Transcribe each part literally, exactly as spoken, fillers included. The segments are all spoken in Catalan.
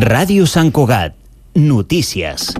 Ràdio Sant Cugat. Notícies.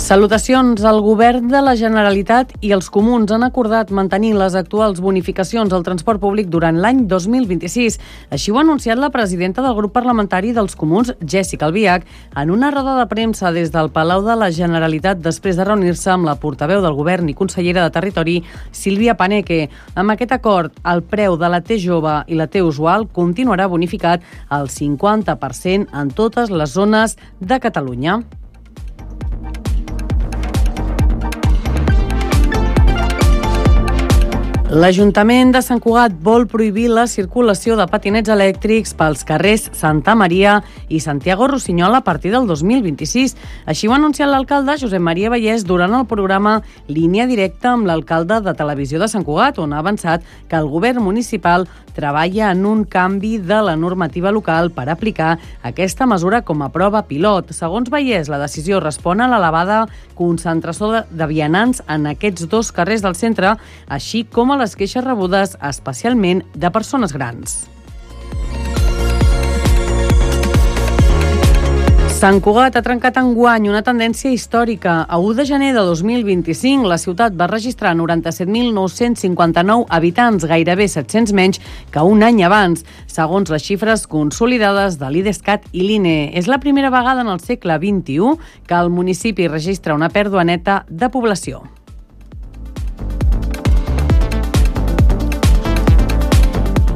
Salutacions. El Govern de la Generalitat i els Comuns han acordat mantenir les actuals bonificacions al transport públic durant l'any dos mil vint-i-sis. Així ho ha anunciat la presidenta del grup parlamentari dels Comuns, Jéssica Albiach, en una roda de premsa des del Palau de la Generalitat després de reunir-se amb la portaveu del Govern i consellera de Territori, Sílvia Paneque. Amb aquest acord, el preu de la T jove i la T usual continuarà bonificat al cinquanta per cent en totes les zones de Catalunya. L'Ajuntament de Sant Cugat vol prohibir la circulació de patinets elèctrics pels carrers Santa Maria i Santiago Rossinyol a partir del dos mil vint-i-sis. Així ho ha anunciat l'alcalde Josep Maria Vallès durant el programa Línia Directa amb l'alcalde de Televisió de Sant Cugat, on ha avançat que el govern municipal treballa en un canvi de la normativa local per aplicar aquesta mesura com a prova pilot. Segons Vallès, la decisió respon a l'elevada concentració de, de vianants en aquests dos carrers del centre, així com a les queixes rebudes especialment de persones grans. Sant Cugat ha trencat enguany una tendència històrica. A u de gener de dos mil vint-i-cinc, la ciutat va registrar noranta-set mil nou-cents cinquanta-nou habitants, gairebé set-cents menys que un any abans, segons les xifres consolidades de l'Idescat i l'I N E. És la primera vegada en el segle vint-i-u que el municipi registra una pèrdua neta de població.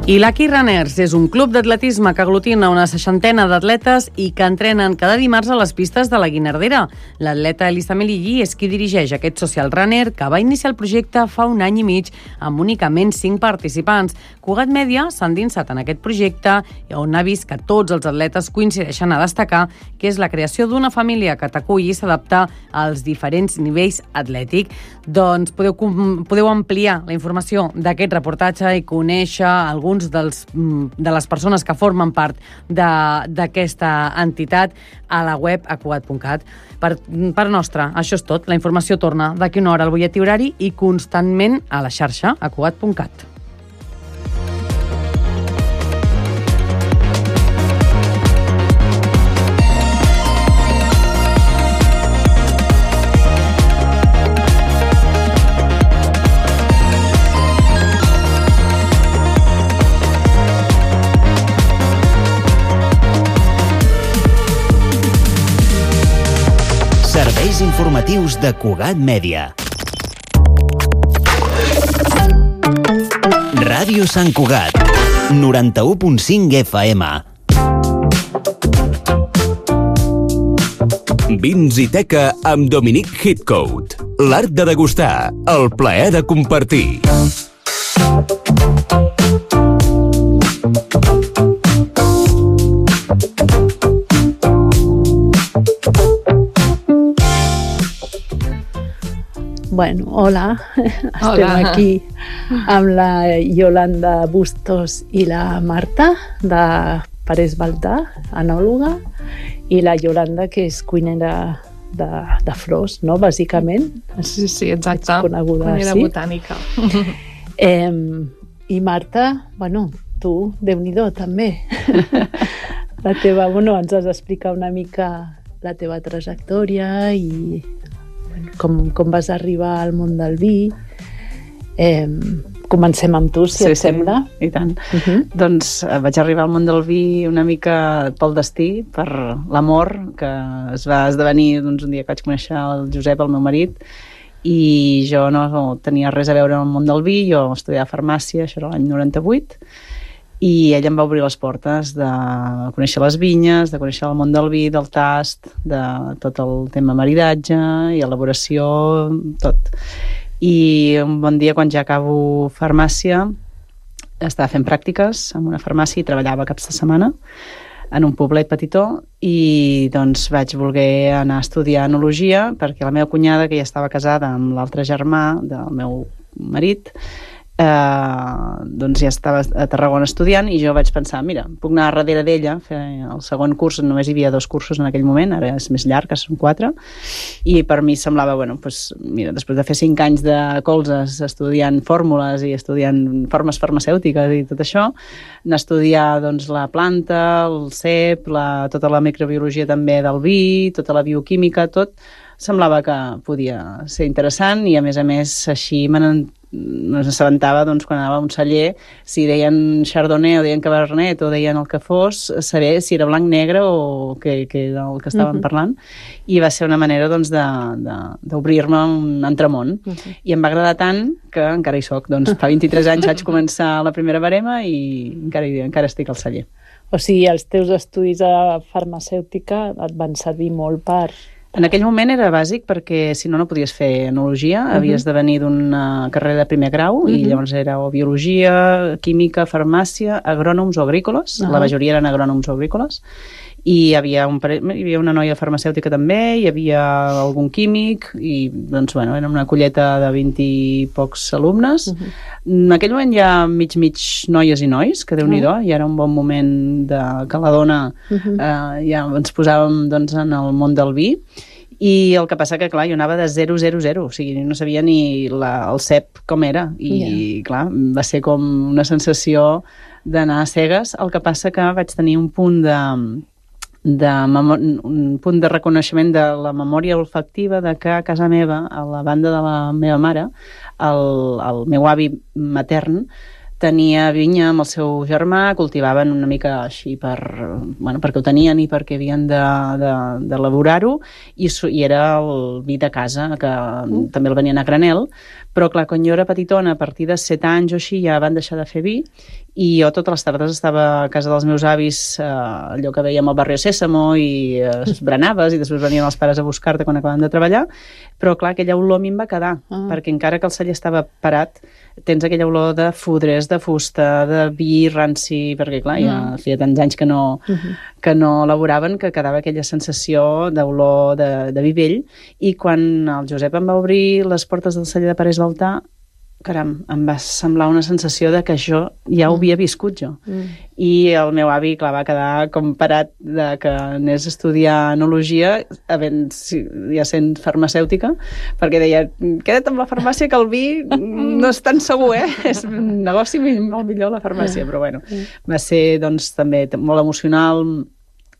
I Lucky Runners és un club d'atletisme que aglutina una seixantena d'atletes i que entrenen cada dimarts a les pistes de la Guinardera. L'atleta Elisa Melillí és qui dirigeix aquest social runner que va iniciar el projecte fa un any i mig amb únicament cinc participants. Cugat Mèdia s'ha endinsat en aquest projecte on ha vist que tots els atletes coincideixen a destacar que és la creació d'una família que t'aculli i s'adapta als diferents nivells atlètics. Doncs podeu, podeu ampliar la informació d'aquest reportatge i conèixer alguns Dels, de les persones que formen part d'aquesta entitat a la web a cugat punt cat. Per, per nostra, això és tot. La informació torna d'aquí una hora al butlletí horari i constantment a la xarxa a cugat punt cat. Serveis informatius de Cugat Mèdia. Ràdio Sant Cugat, noranta-u punt cinc F M. Vins i teca amb Dominic Hitcoat. L'art de degustar, el plaer de compartir. Bueno, hola. Hola. Estem aquí amb la Yolanda Bustos i la Marta de Parés Baltà, enòloga, i la Yolanda, que és cuinera de, de flors, no?, bàsicament. Sí, sí, exacte. Ets coneguda, cuinera sí? botànica. Eh, I Marta, bueno, tu, Déu-n'hi-do, també. La teva, bueno, ens has d'explicar una mica la teva trajectòria i Com, com vas arribar al món del vi. Eh, comencem amb tu, si sí, et sembla. Sí, i tant. Uh -huh. Doncs eh, vaig arribar al món del vi una mica pel destí, per l'amor, que es va esdevenir doncs, un dia que vaig conèixer el Josep, el meu marit, i jo no tenia res a veure amb el món del vi. Jo estudiava farmàcia, això era l'any noranta-vuit, i ell em va obrir les portes de conèixer les vinyes, de conèixer el món del vi, del tast, de tot el tema maridatge i elaboració, tot. I un bon dia, quan ja acabo farmàcia, estava fent pràctiques en una farmàcia i treballava caps de setmana en un poblet petitó, i doncs vaig voler anar a estudiar enologia perquè la meva cunyada, que ja estava casada amb l'altre germà del meu marit, eh, doncs ja estava a Tarragona estudiant i jo vaig pensar, mira, puc anar darrere d'ella, fer el segon curs, només hi havia dos cursos en aquell moment, ara és més llarg, que són quatre, i per mi semblava, bueno, doncs, mira, després de fer cinc anys de colzes estudiant fórmules i estudiant formes farmacèutiques i tot això, anar a estudiar doncs, la planta, el cep, la, tota la microbiologia també del vi, tota la bioquímica, tot, semblava que podia ser interessant i a més a més així me n'assabentava doncs, quan anava a un celler, si deien Chardonnay o deien Cabernet o deien el que fos, saber si era blanc-negre o què, què era el que estàvem uh-huh. parlant, i va ser una manera doncs, d'obrir-me un altre món. Uh-huh. I em va agradar tant que encara hi soc. Doncs, fa vint-i-tres anys vaig començar la primera barema i encara, encara estic al celler. O sigui, els teus estudis de farmacèutica et van servir molt per... En aquell moment era bàsic perquè si no no podies fer enologia, uh-huh. havies de venir d'una carrera de primer grau uh-huh. i llavors era o biologia, química, farmàcia, agrònoms o agrícoles, uh-huh. la majoria eren agrònoms o agrícoles, i hi havia, un pare... hi havia una noia farmacèutica també, hi havia algun químic i doncs bueno, era una colleta de vint i pocs alumnes. Uh-huh. En aquell moment hi ha mig-mig noies i nois, que Déu-n'hi-do, uh-huh. i era un bon moment de que la dona uh-huh. eh, ja ens posàvem doncs, en el món del vi. I el que passa que, clar, jo anava de zero zero zero, o sigui, no sabia ni la, el cep com era, i, yeah. clar, va ser com una sensació d'anar a cegues. El que passa que vaig tenir un punt de, de un punt de reconeixement de la memòria olfactiva de que a casa meva, a la banda de la meva mare, el, el meu avi matern tenia vinya amb el seu germà, cultivaven una mica així per, bueno, perquè ho tenien i perquè havien d'elaborar-ho, i, i era el vi de casa, que mm. també el venien a granel, però clar, quan jo era petitona, a partir de set anys o així, ja van deixar de fer vi, i jo totes les tardes estava a casa dels meus avis, eh, allò que veiem al barri Sésamo, i eh, esbranaves, i després venien els pares a buscar-te quan acabaven de treballar, però clar, aquella olor a mi em va quedar, ah. perquè encara que el celler estava parat, tens aquella olor de fudres, de fusta, de vi ranci, perquè clar, ja mm. feia tants anys que no, uh-huh. que no elaboraven, que quedava aquella sensació d'olor de, de vi vell, i quan el Josep em va obrir les portes del celler de Parés Baltà, caram, em va semblar una sensació de que això ja ho havia viscut jo. Mm. I el meu avi, clar, va quedar com parat de que anés a estudiar enologia, havent, ja sent farmacèutica, perquè deia, queda't amb la farmàcia que el vi no és tan segur, eh? És un negoci molt millor la farmàcia, però bueno, va ser doncs també molt emocional,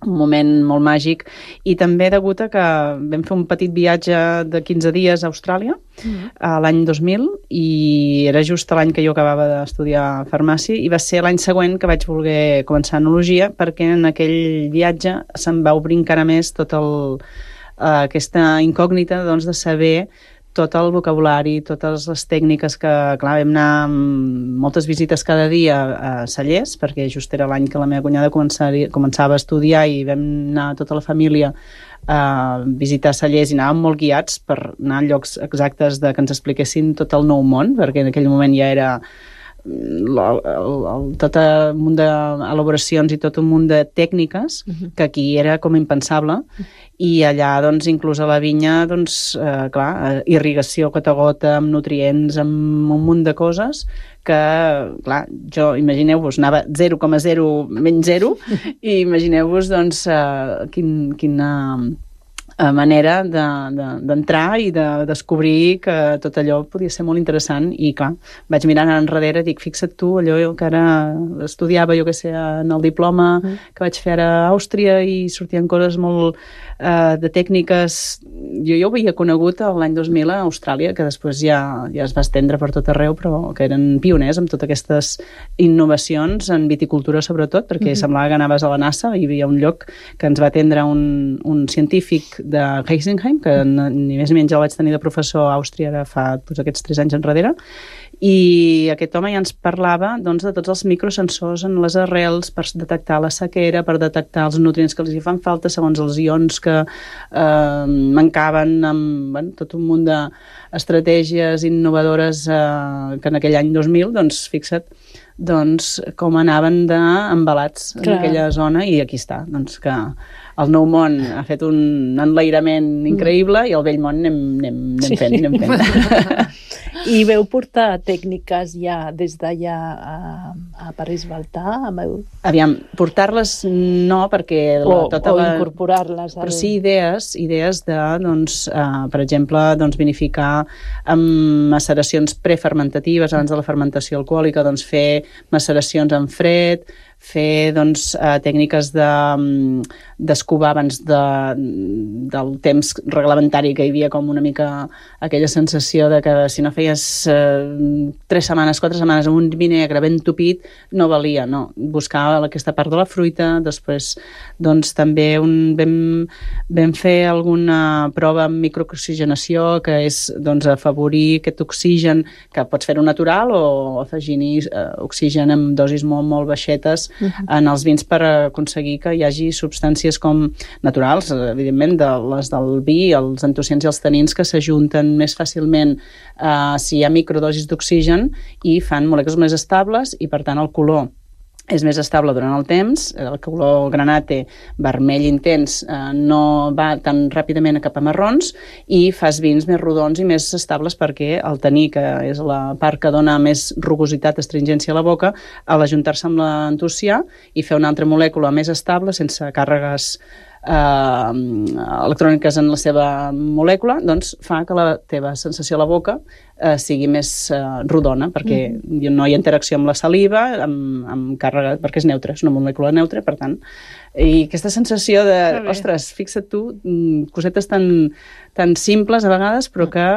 un moment molt màgic, i també degut a que vam fer un petit viatge de quinze dies a Austràlia mm. l'any dos mil, i era just l'any que jo acabava d'estudiar farmàcia, i va ser l'any següent que vaig voler començar enologia, perquè en aquell viatge se'm va obrir encara més tota aquesta incògnita doncs, de saber tot el vocabulari, totes les tècniques que, clar, vam anar amb moltes visites cada dia a cellers, perquè just era l'any que la meva cunyada començava a estudiar i vam anar tota la família a visitar cellers i anàvem molt guiats per anar a llocs exactes de que ens expliquessin tot el nou món, perquè en aquell moment ja era el, el, el, tot un munt d'elaboracions i tot un munt de tècniques uh-huh. que aquí era com impensable, i allà doncs inclús a la vinya doncs eh, clar, irrigació gota a gota amb nutrients, amb un munt de coses que, clar, jo imagineu-vos, anava zero coma zero menys zero i imagineu-vos doncs eh, quin, quina manera d'entrar de, de, i de descobrir que tot allò podia ser molt interessant, i clar, vaig mirant enrere i dic, fixa't tu, allò que ara estudiava, jo que sé, en el diploma mm. que vaig fer a Àustria, i sortien coses molt eh, de tècniques, jo ja ho havia conegut l'any dos mil a Austràlia, que després ja, ja es va estendre per tot arreu, però que eren pioners amb totes aquestes innovacions en viticultura sobretot, perquè mm-hmm. semblava que anaves a la NASA i hi havia un lloc que ens va atendre un, un científic de Heisenheim, que ni més ni menys el vaig tenir de professor a Àustria ara fa doncs, aquests tres anys enrere, i aquest home ja ens parlava doncs, de tots els microsensors en les arrels per detectar la sequera, per detectar els nutrients que els hi fan falta segons els ions que eh, mancaven, amb bueno, tot un munt d'estratègies innovadores eh, que en aquell any dos mil, doncs fixa't doncs, com anaven d'embalats en aquella zona, i aquí està, doncs que el nou món ha fet un enlairament increïble i el vell món anem, anem, anem fent, anem fent. I veu portar tècniques ja des d'allà a, a París Baltà? Meu... Aviam, portar-les no, perquè la, o, tota o la... incorporar-les. Al... Però sí idees, idees de, doncs, uh, per exemple, doncs, vinificar amb maceracions prefermentatives abans de la fermentació alcohòlica, doncs fer maceracions en fred, fer doncs, uh, tècniques de, d'escovar abans de, del temps reglamentari, que hi havia com una mica aquella sensació de que si no feies uh, tres setmanes, quatre setmanes amb un vinegre ben tupit, no valia, no. Buscar aquesta part de la fruita, després doncs, també un, vam, vam fer alguna prova amb microoxigenació, que és doncs, afavorir aquest oxigen, que pots fer-ho natural o afegir-hi uh, oxigen amb dosis molt, molt baixetes uh-huh. en els vins per aconseguir que hi hagi substàncies com naturals, evidentment, de les del vi, els antocians i els tanins que s'ajunten més fàcilment eh, si hi ha microdosis d'oxigen i fan molècules més estables i, per tant, el color és més estable durant el temps, el color granate vermell intens eh, no va tan ràpidament cap a marrons i fas vins més rodons i més estables perquè el taní, que és la part que dona més rugositat, astringència a la boca, a l'ajuntar-se amb l'antocià i fer una altra molècula més estable, sense càrregues eh, electròniques en la seva molècula, doncs fa que la teva sensació a la boca eh, sigui més eh, rodona, perquè mm. no hi ha interacció amb la saliva, amb, amb càrrega, perquè és neutra, és una molècula neutra, per tant, i aquesta sensació de, ostres, fixa't tu, cosetes tan, tan simples a vegades, però que,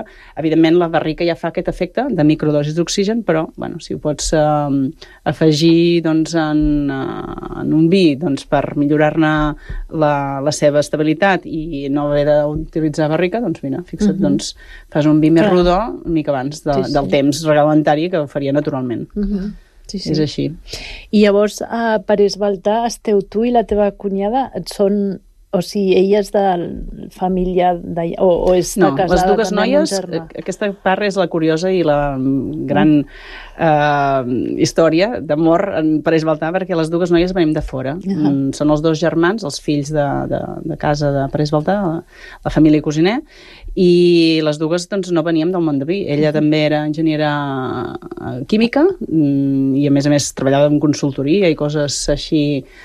evidentment, la barrica ja fa aquest efecte de microdosis d'oxigen, però, bueno, si ho pots eh, afegir doncs, en, uh, en un vi doncs, per millorar-ne la, la seva estabilitat i no haver d'utilitzar barrica, doncs mira, fixa't, uh-huh. doncs, fas un vi més Clar. rodó una mica abans de, sí, sí. del temps reglamentari que ho faria naturalment. Uh-huh. Sí, sí. És així. I llavors a París Baltà esteu tu i la teva cunyada, són, o sigui, ella és de família de, o, o és de no, casada les dues també noies, amb un germà? Aquesta part és la curiosa i la gran eh, història d'amor en París Baltà, perquè les dues noies venim de fora. Uh-huh. Mm, són els dos germans, els fills de, de, de casa de París Baltà, la, la família Cosiner, i les dues doncs, no veníem del món de vi. Ella uh-huh. també era enginyera química i a més a més treballava en consultoria i coses així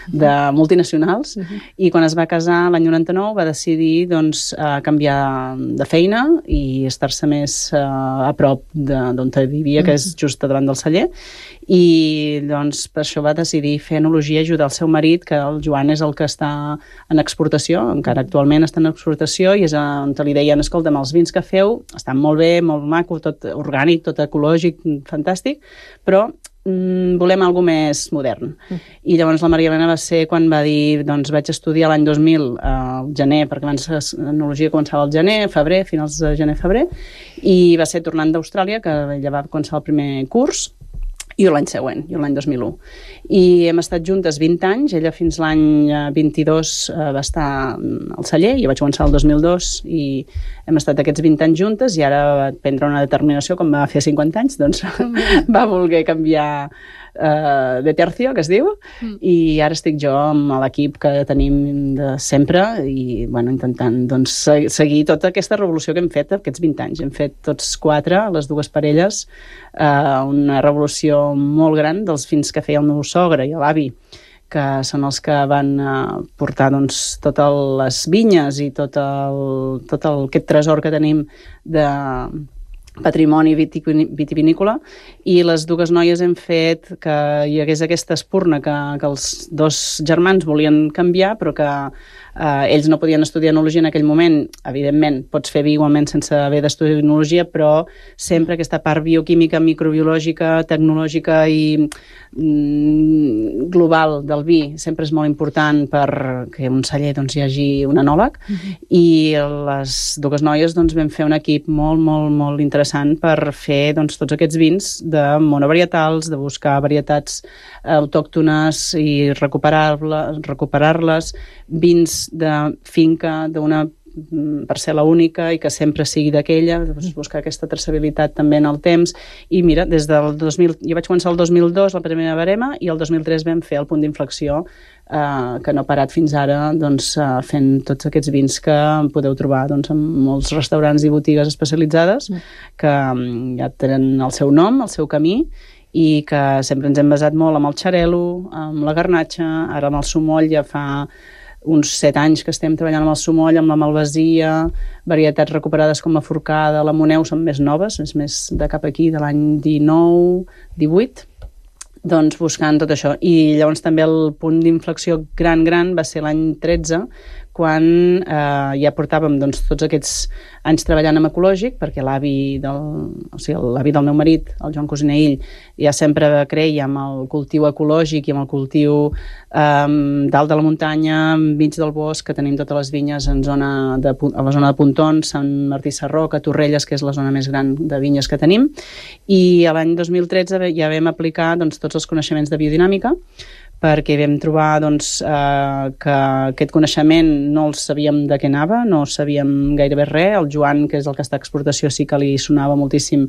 de multinacionals uh-huh. i quan es va casar l'any noranta-nou va decidir doncs, canviar de feina i estar-se més a prop d'on vivia, que és just davant del celler, i doncs per això va decidir fer enologia i ajudar el seu marit, que el Joan és el que està en exportació, encara actualment està en exportació, i és on li deien, escolta'm, els vins que feu estan molt bé, molt maco, tot orgànic, tot ecològic, fantàstic, però mm, volem alguna més modern. Mm. I llavors la Maria Elena va ser quan va dir, doncs vaig estudiar l'any dos mil, al gener, perquè abans l'enologia començava al gener, febrer, finals de gener-febrer, i va ser tornant d'Austràlia, que ella va començar el primer curs, i l'any següent, i l'any dos mil u. I hem estat juntes vint anys, ella fins l'any vint-i-dos eh, va estar al celler, jo vaig començar el dos mil dos i hem estat aquests vint anys juntes i ara va prendre una determinació, com va fer cinquanta anys, doncs va voler canviar eh, de tercio, que es diu, mm. i ara estic jo amb l'equip que tenim de sempre i bueno, intentant doncs, seguir tota aquesta revolució que hem fet aquests vint anys. Hem fet tots quatre, les dues parelles, eh, una revolució molt gran dels vins que feia el meu sogre i l'avi, que són els que van uh, portar doncs, totes les vinyes i tot, el, tot el, aquest tresor que tenim de patrimoni vitivinícola, i les dues noies hem fet que hi hagués aquesta espurna que, que els dos germans volien canviar, però que eh, ells no podien estudiar enologia en aquell moment. Evidentment, pots fer vi igualment sense haver d'estudiar enologia, però sempre aquesta part bioquímica, microbiològica, tecnològica i mm, global del vi sempre és molt important perquè un celler doncs, hi hagi un enòleg, uh-huh. i les dues noies doncs, vam fer un equip molt, molt, molt interessant per fer doncs, tots aquests vins de monovarietals, de buscar varietats autòctones i recuperar-les, recuperar-les, vins de finca, d'una per ser l'única i que sempre sigui d'aquella, doncs buscar aquesta traçabilitat també en el temps. I mira, des del dos mil... Jo vaig començar el dos mil dos, la primera barema, i el dos mil tres vam fer el punt d'inflexió, eh, que no ha parat fins ara, doncs, eh, fent tots aquests vins que podeu trobar doncs, en molts restaurants i botigues especialitzades, que ja tenen el seu nom, el seu camí, i que sempre ens hem basat molt amb el xarel·lo, amb la garnatxa, ara amb el sumoll ja fa uns set anys que estem treballant amb el sumoll, amb la malvasia, varietats recuperades com la forcada, la moneu són més noves, és més de cap aquí, de l'any dinou, divuit, doncs buscant tot això. I llavors també el punt d'inflexió gran, gran va ser l'any tretze, quan eh, ja portàvem doncs, tots aquests anys treballant amb ecològic, perquè l'avi del, o sigui, l'avi del meu marit, el Joan Cosinell, ja sempre creia amb el cultiu ecològic i amb el cultiu eh, dalt de la muntanya, enmig del bosc, que tenim totes les vinyes en zona de, a la zona de Pontons, Sant Martí Sarroca, Torrelles, que és la zona més gran de vinyes que tenim, i l'any dos mil tretze ja vam aplicar doncs, tots els coneixements de biodinàmica, perquè vam trobar doncs, eh, que aquest coneixement no el sabíem de què anava, no sabíem gairebé res. El Joan, que és el que està a exportació, sí que li sonava moltíssim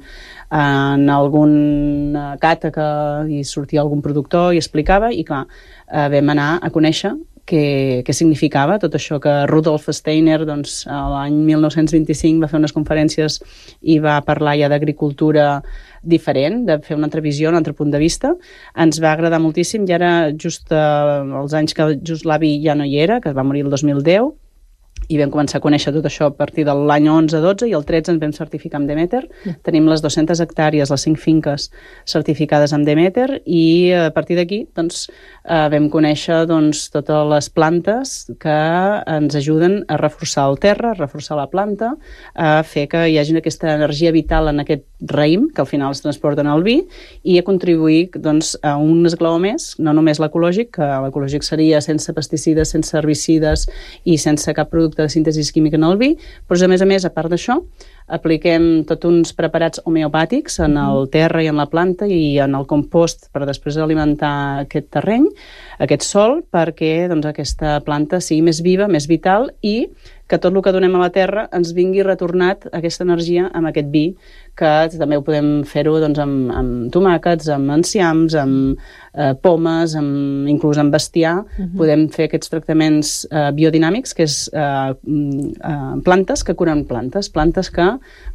en alguna cata que hi sortia algun productor i explicava, i clar, eh, vam anar a conèixer què, què significava tot això que Rudolf Steiner doncs, l'any mil nou-cents vint-i-cinc va fer unes conferències i va parlar ja d'agricultura diferent, de fer una altra visió, un altre punt de vista. Ens va agradar moltíssim i ara just eh, els anys que just l'avi ja no hi era, que va morir el dos mil deu, i vam començar a conèixer tot això a partir de l'any onze dotze, i el tretze ens vam certificar amb Demeter. Mm. Tenim les dues-centes hectàrees, les cinc finques certificades amb Demeter, i a partir d'aquí doncs, eh, vam conèixer doncs, totes les plantes que ens ajuden a reforçar el terra, a reforçar la planta, a fer que hi hagi aquesta energia vital en aquest raïm, que al final es transporta en el vi, i a contribuir doncs, a un esglaó més, no només l'ecològic, que l'ecològic seria sense pesticides, sense herbicides i sense cap producte de síntesi química en el vi, però a més a més, a part d'això, apliquem tots uns preparats homeopàtics en el terra i en la planta i en el compost per després alimentar aquest terreny, aquest sòl, perquè doncs, aquesta planta sigui més viva, més vital, i que tot el que donem a la terra ens vingui retornat aquesta energia amb aquest vi, que també ho podem fer-ho doncs, amb, amb tomàquets, amb enciams, amb eh, pomes, amb, inclús amb bestiar. Uh-huh. Podem fer aquests tractaments eh, biodinàmics, que és eh, eh, plantes que curen plantes, plantes que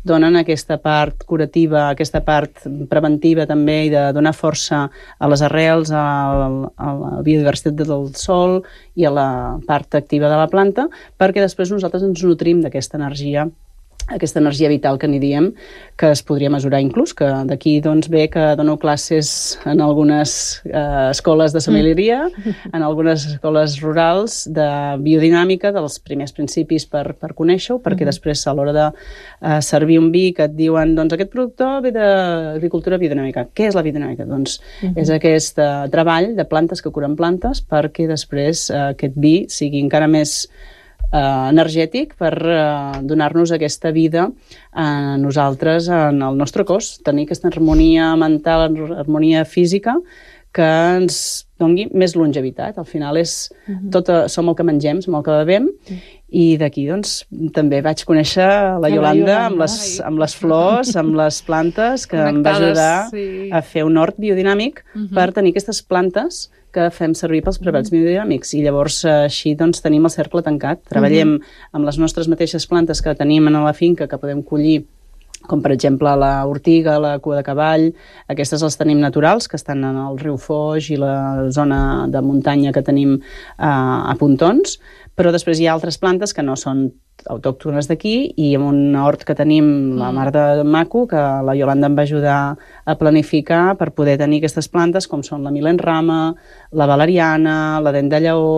donen aquesta part curativa, aquesta part preventiva també, i de donar força a les arrels, a, a la biodiversitat del sòl i a la part activa de la planta, perquè després nosaltres ens nutrim d'aquesta energia, aquesta energia vital que n'hi diem, que es podria mesurar inclús, que d'aquí doncs, ve que dono classes en algunes eh, escoles de sommelieria, mm. en algunes escoles rurals de biodinàmica, dels primers principis per, per conèixer-ho, perquè mm. després a l'hora de eh, servir un vi que et diuen doncs aquest productor ve d'agricultura biodinàmica. Què és la biodinàmica? Doncs mm-hmm. és aquest eh, treball de plantes que curen plantes perquè després eh, aquest vi sigui encara més Uh, energètic per uh, donar-nos aquesta vida a nosaltres, en el nostre cos, tenir aquesta harmonia mental, harmonia física, que ens doni més longevitat. Al final és uh-huh. tot, som el que mengem, som el que bevem, uh-huh. i d'aquí doncs, també vaig conèixer la Iolanda amb les, amb les flors, amb les plantes, que em va ajudar sí. a fer un hort biodinàmic uh-huh. per tenir aquestes plantes que fem servir pels preparats mm. biodinàmics, i llavors així doncs, tenim el cercle tancat. Treballem mm. amb les nostres mateixes plantes que tenim a la finca, que podem collir, com per exemple la ortiga, la cua de cavall. Aquestes les tenim naturals, que estan en el riu Foix i la zona de muntanya que tenim eh, a Pontons, però després hi ha altres plantes que no són autòctones d'aquí, i amb un hort que tenim, la mar de maco, que la Iolanda em va ajudar a planificar per poder tenir aquestes plantes, com són la milenrama, la valeriana, la dent de lleó,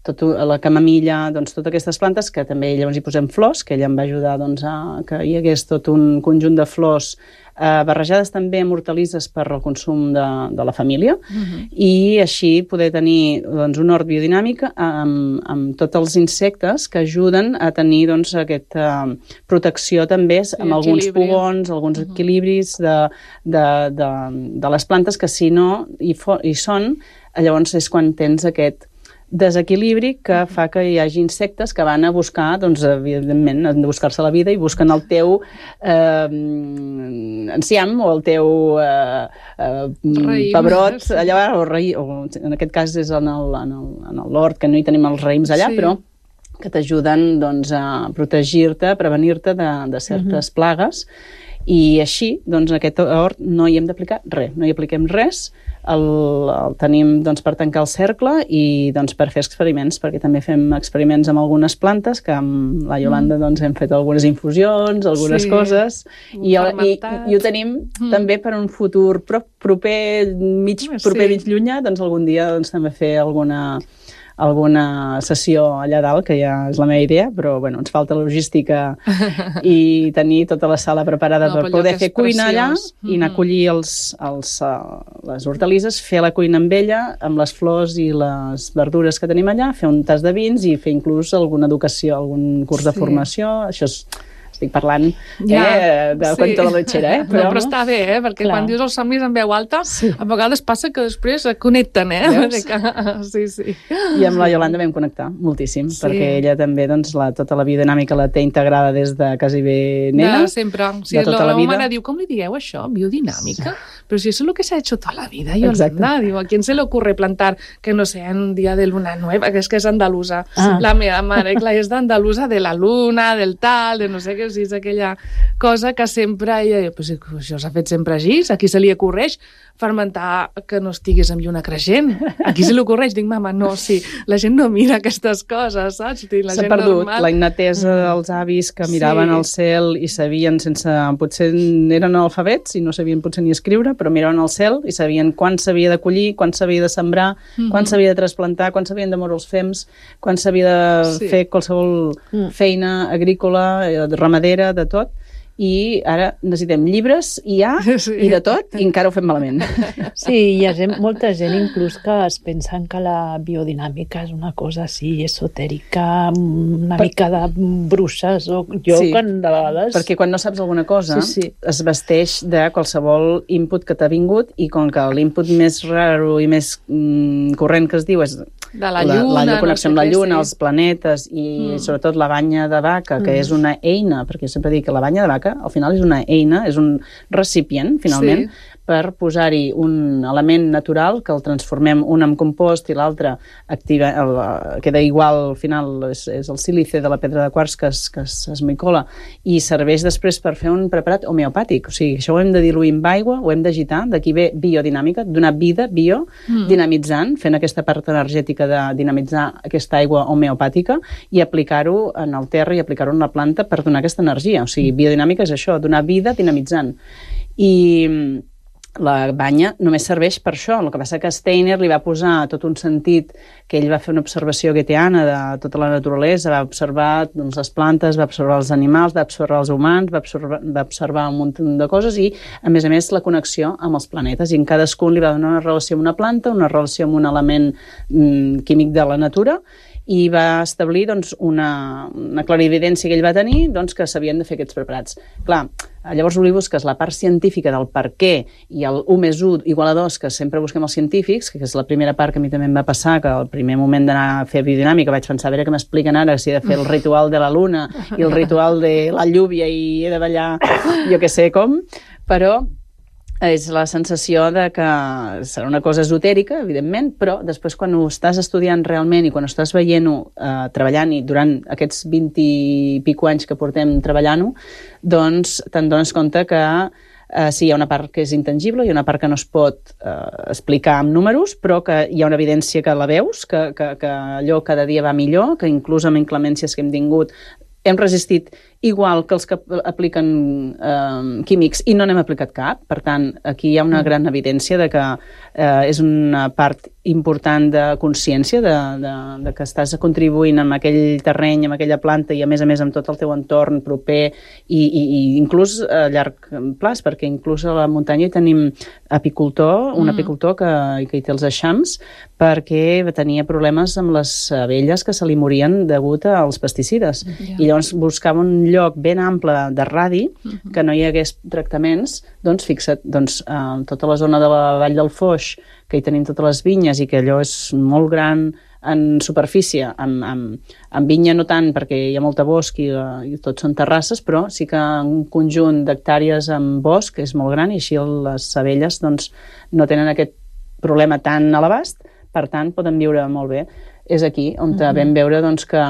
tot, la camamilla, doncs totes aquestes plantes que també llavors hi posem flors, que ella em va ajudar doncs, a que hi hagués tot un conjunt de flors eh, barrejades també amb hortalisses per al consum de, de la família, uh-huh. i així poder tenir doncs, un hort biodinàmic amb, amb tots els insectes que ajuden a tenir doncs, aquesta protecció també sí, amb alguns equilibri. pugons, alguns uh-huh. equilibris de, de, de, de les plantes, que si no hi, fo, hi són, llavors és quan tens aquest desequilibri que fa que hi hagi insectes que van a buscar, doncs, evidentment, han de buscar-se la vida i busquen el teu eh, enciam o el teu eh, eh, pebrot sí. allà, o, raï, o en aquest cas és en l'hort, que no hi tenim els raïms allà, sí. però que t'ajuden doncs, a protegir-te, a prevenir-te de, de certes uh-huh. plagues, i així, doncs, aquest hort no hi hem d'aplicar res, no hi apliquem res, el, el tenim doncs, per tancar el cercle i doncs, per fer experiments, perquè també fem experiments amb algunes plantes, que amb la Iolanda doncs, hem fet algunes infusions, algunes sí. coses, i, el, i, i ho tenim mm. també per un futur pro, proper, mig, proper, sí. mig llunyà, doncs algun dia doncs, també fer alguna... alguna sessió allà dalt, que ja és la meva idea, però bueno, ens falta logística i tenir tota la sala preparada no, per poder fer cuina allà mm-hmm. i anar a collir els, els, uh, les hortalisses, fer la cuina amb ella, amb les flors i les verdures que tenim allà, fer un tas de vins i fer inclús alguna educació, algun curs sí. de formació, això és... Estic parlant ja, eh, de sí. cuento de la lechera, eh? Però, no, però està bé, eh? Perquè clar. Quan dius els somnis en veu alta, sí. a vegades passa que després connecten, eh? Que... Sí, sí. I amb la Iolanda vam connectar moltíssim, sí. perquè ella també doncs, la, tota la biodinàmica la té integrada des de quasi bé nena. De sempre. Sí, de tota la, la vida. Mare diu, com li dieu això? Biodinàmica? Pero si eso es lo que se ha hecho toda la vida, Yolanda. Digo, ¿a quién se le ocurre plantar que no sea en un día de luna nueva? Que es que és andalusa. Ah. La meva mare, clar, és d'andalusa de la luna, del tal, de no sé què, o sigui, és aquella cosa que sempre ella diu, pues, això s'ha fet sempre així, a qui se li ocorreix fermentar que no estiguis amb lluna creixent? A qui se li ocorreix? Dic, mama, no, sí, la gent no mira aquestes coses, saps? S'ha perdut normal... la innatesa dels avis que miraven sí. al cel i sabien sense... Potser eren alfabets i no sabien potser ni escriure, però miraven al cel i sabien quan s'havia de collir, quan s'havia de sembrar, mm-hmm. quan s'havia de trasplantar, quan s'havien de moure els fems, quan s'havia de sí. fer qualsevol mm. feina agrícola, ramadera, de tot. I ara necessitem llibres i ja, sí. i de tot, i encara ho fem malament. Sí, hi ha gent, molta gent inclús que es pensen que la biodinàmica és una cosa així esotèrica, una per... mica de bruixes, o jo sí, quan de vegades... Perquè quan no saps alguna cosa sí, sí. es vesteix de qualsevol input que t'ha vingut, i com que l'input més raro i més mm, corrent que es diu és de la lluna, la, la connexió no amb la lluna, sí. els planetes i mm. sobretot la banya de vaca, que mm. és una eina, perquè sempre dic que la banya de vaca al final és una eina, és un recipient, finalment, sí. per posar-hi un element natural que el transformem un en compost i l'altre activa, el, queda igual, al final és, és el sílice de la pedra de quars que es, que es micola, i serveix després per fer un preparat homeopàtic. O sigui, això ho hem de diluir amb aigua, ho hem d'agitar, d'aquí ve biodinàmica, donar vida, bio, mm. dinamitzant, fent aquesta part energètica de dinamitzar aquesta aigua homeopàtica i aplicar-ho en el terra i aplicar-ho en la planta per donar aquesta energia. O sigui, biodinàmica és això, donar vida dinamitzant. I la banya només serveix per això. El que passa que Steiner li va posar tot un sentit, que ell va fer una observació goetheana de tota la naturalesa, va observar doncs, les plantes, va observar els animals, va observar els humans, va observar, va observar un munt de coses i, a més a més, la connexió amb els planetes. I en cadascun li va donar una relació amb una planta, una relació amb un element mm, químic de la natura, i va establir doncs, una, una clarividència que ell va tenir, doncs, que s'havien de fer aquests preparats. Clar, llavors li busques la part científica del per què i el u més u igual a dos, que sempre busquem els científics, que és la primera part que a mi també em va passar, que al primer moment d'anar a fer biodinàmica vaig pensar, a veure què m'expliquen ara, si he de fer el ritual de la luna i el ritual de la lluvia i he de ballar jo que sé com, però és la sensació de que serà una cosa esotèrica, evidentment, però després quan ho estàs estudiant realment i quan ho estàs veient-ho, eh, treballant, i durant aquests vint i pico anys que portem treballant-ho, doncs te'n dones compte que eh, sí, hi ha una part que és intangible, hi ha una part que no es pot eh, explicar amb números, però que hi ha una evidència que la veus, que, que, que allò cada dia va millor, que inclús amb inclemències que hem tingut hem resistit igual que els que apliquen eh, químics i no n'hem aplicat cap. Per tant, aquí hi ha una gran evidència de que eh, és una part important de consciència de, de, de que estàs contribuint amb aquell terreny, amb aquella planta i a més a més amb tot el teu entorn proper i, i, i inclús a llarg plaç, perquè inclús a la muntanya hi tenim apicultor, un mm. apicultor que, que hi té els eixams perquè tenia problemes amb les abelles que se li morien degut als pesticides. Yeah. I llavors buscava un lloc ben ample de radi, uh-huh. que no hi hagués tractaments, doncs fixa't, doncs, eh, tota la zona de la Vall del Foix, que hi tenim totes les vinyes i que allò és molt gran, en superfície, amb, amb, amb vinya no tant, perquè hi ha molta bosc i, i tot són terrasses, però sí que un conjunt d'hectàrees amb bosc és molt gran i així les abelles doncs, no tenen aquest problema tan a l'abast, per tant poden viure molt bé. És aquí on mm-hmm. vam veure doncs, que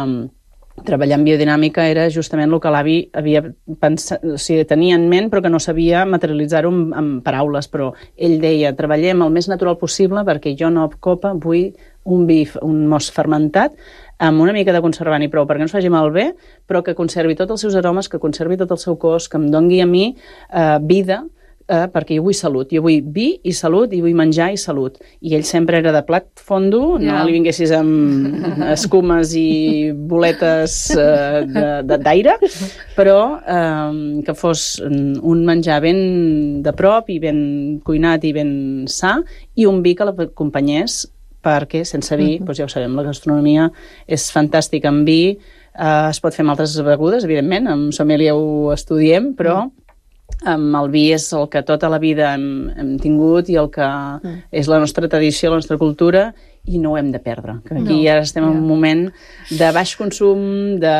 treballar en biodinàmica era justament el que l'avi havia pensat, o sigui, tenia en ment però que no sabia materialitzar-ho en, en paraules, però ell deia, treballem el més natural possible perquè jo no copa vull un vi, un most fermentat amb una mica de conservant i prou perquè no es faci malbé, però que conservi tots els seus aromes, que conservi tot el seu cos, que em doni a mi eh, vida, eh, perquè jo vull salut, jo vull vi i salut i vull menjar i salut. I ell sempre era de plat fondo, yeah. no li vinguessis amb escumes i boletes eh, d'aire, però eh, que fos un menjar ben de prop i ben cuinat i ben sa i un vi que l'acompanyés perquè sense vi, uh-huh. doncs ja ho sabem, la gastronomia és fantàstica amb vi, eh, es pot fer amb altres begudes, evidentment, amb sommelier ho estudiem, però uh-huh. amb el vi és el que tota la vida hem, hem tingut i el que uh-huh. és la nostra tradició, la nostra cultura, i no ho hem de perdre. Que aquí no, ara estem en un moment de baix consum, de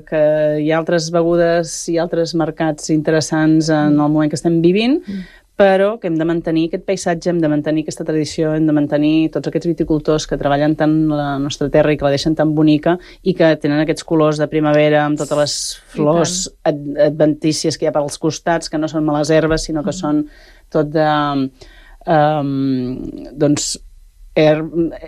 que hi ha altres begudes i altres mercats interessants en el moment que estem vivint, uh-huh. però que hem de mantenir aquest paisatge, hem de mantenir aquesta tradició, hem de mantenir tots aquests viticultors que treballen tant la nostra terra i que la deixen tan bonica i que tenen aquests colors de primavera amb totes les flors ad adventícies que hi ha pels costats, que no són males herbes, sinó que mm. són tot de... Um, doncs, her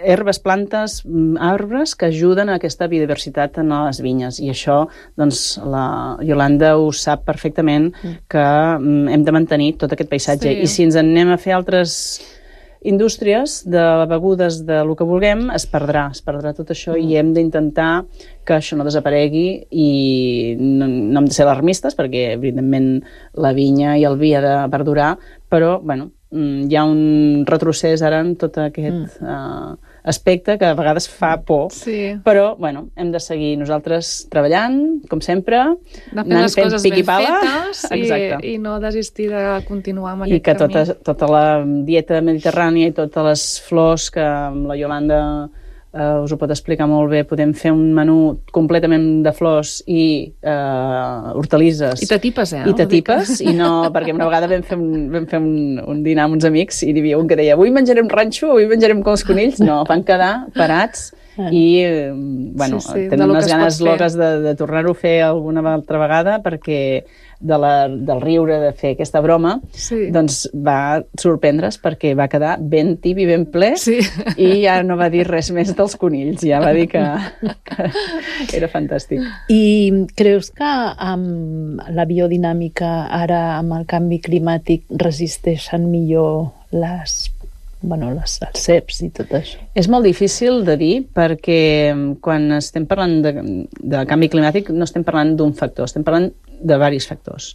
herbes, plantes, arbres que ajuden a aquesta biodiversitat en les vinyes. I això, doncs, la Iolanda ho sap perfectament, que hem de mantenir tot aquest paisatge. Sí. I si ens en anem a fer altres indústries de begudes de lo que vulguem, es perdrà, es perdrà tot això mm. i hem d'intentar que això no desaparegui i no, no hem de ser alarmistes perquè, evidentment, la vinya i el vi ha de perdurar, però, bueno, hi ha un retrocés ara en tot aquest mm. uh, aspecte que a vegades fa por, sí. però bueno, hem de seguir nosaltres treballant, com sempre, anant les coses ben fetes i, i no desistir de continuar amb aquest camí. I que tota, tota la dieta mediterrània i totes les flors que amb la Iolanda Uh, us ho pot explicar molt bé, podem fer un menú completament de flors i uh, hortalisses. I t'atipes, eh? I t'atipes, i no, perquè una vegada vam fer, un, vam fer un, un dinar amb uns amics i hi havia un que deia, avui menjarem ranxo, avui menjarem com els conills. No, van quedar parats i, bueno, sí, sí, tenen unes ganes loques de, de tornar-ho a fer alguna altra vegada perquè de la, del riure de fer aquesta broma, sí. doncs va sorprendre's perquè va quedar ben tip i ben ple sí. i ja no va dir res més dels conills, ja va dir que, que era fantàstic. I creus que amb la biodinàmica ara, amb el canvi climàtic, resisteixen millor les bueno, les, els ceps i tot això? És molt difícil de dir perquè quan estem parlant de, de canvi climàtic no estem parlant d'un factor, estem parlant de diversos factors.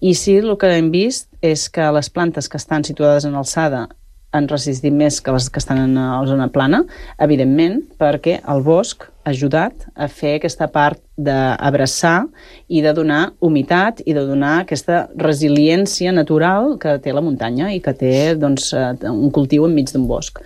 I sí, el que hem vist és que les plantes que estan situades en alçada han resistit més que les que estan en la zona plana, evidentment, perquè el bosc ha ajudat a fer aquesta part d'abraçar i de donar humitat i de donar aquesta resiliència natural que té la muntanya i que té doncs, un cultiu enmig d'un bosc.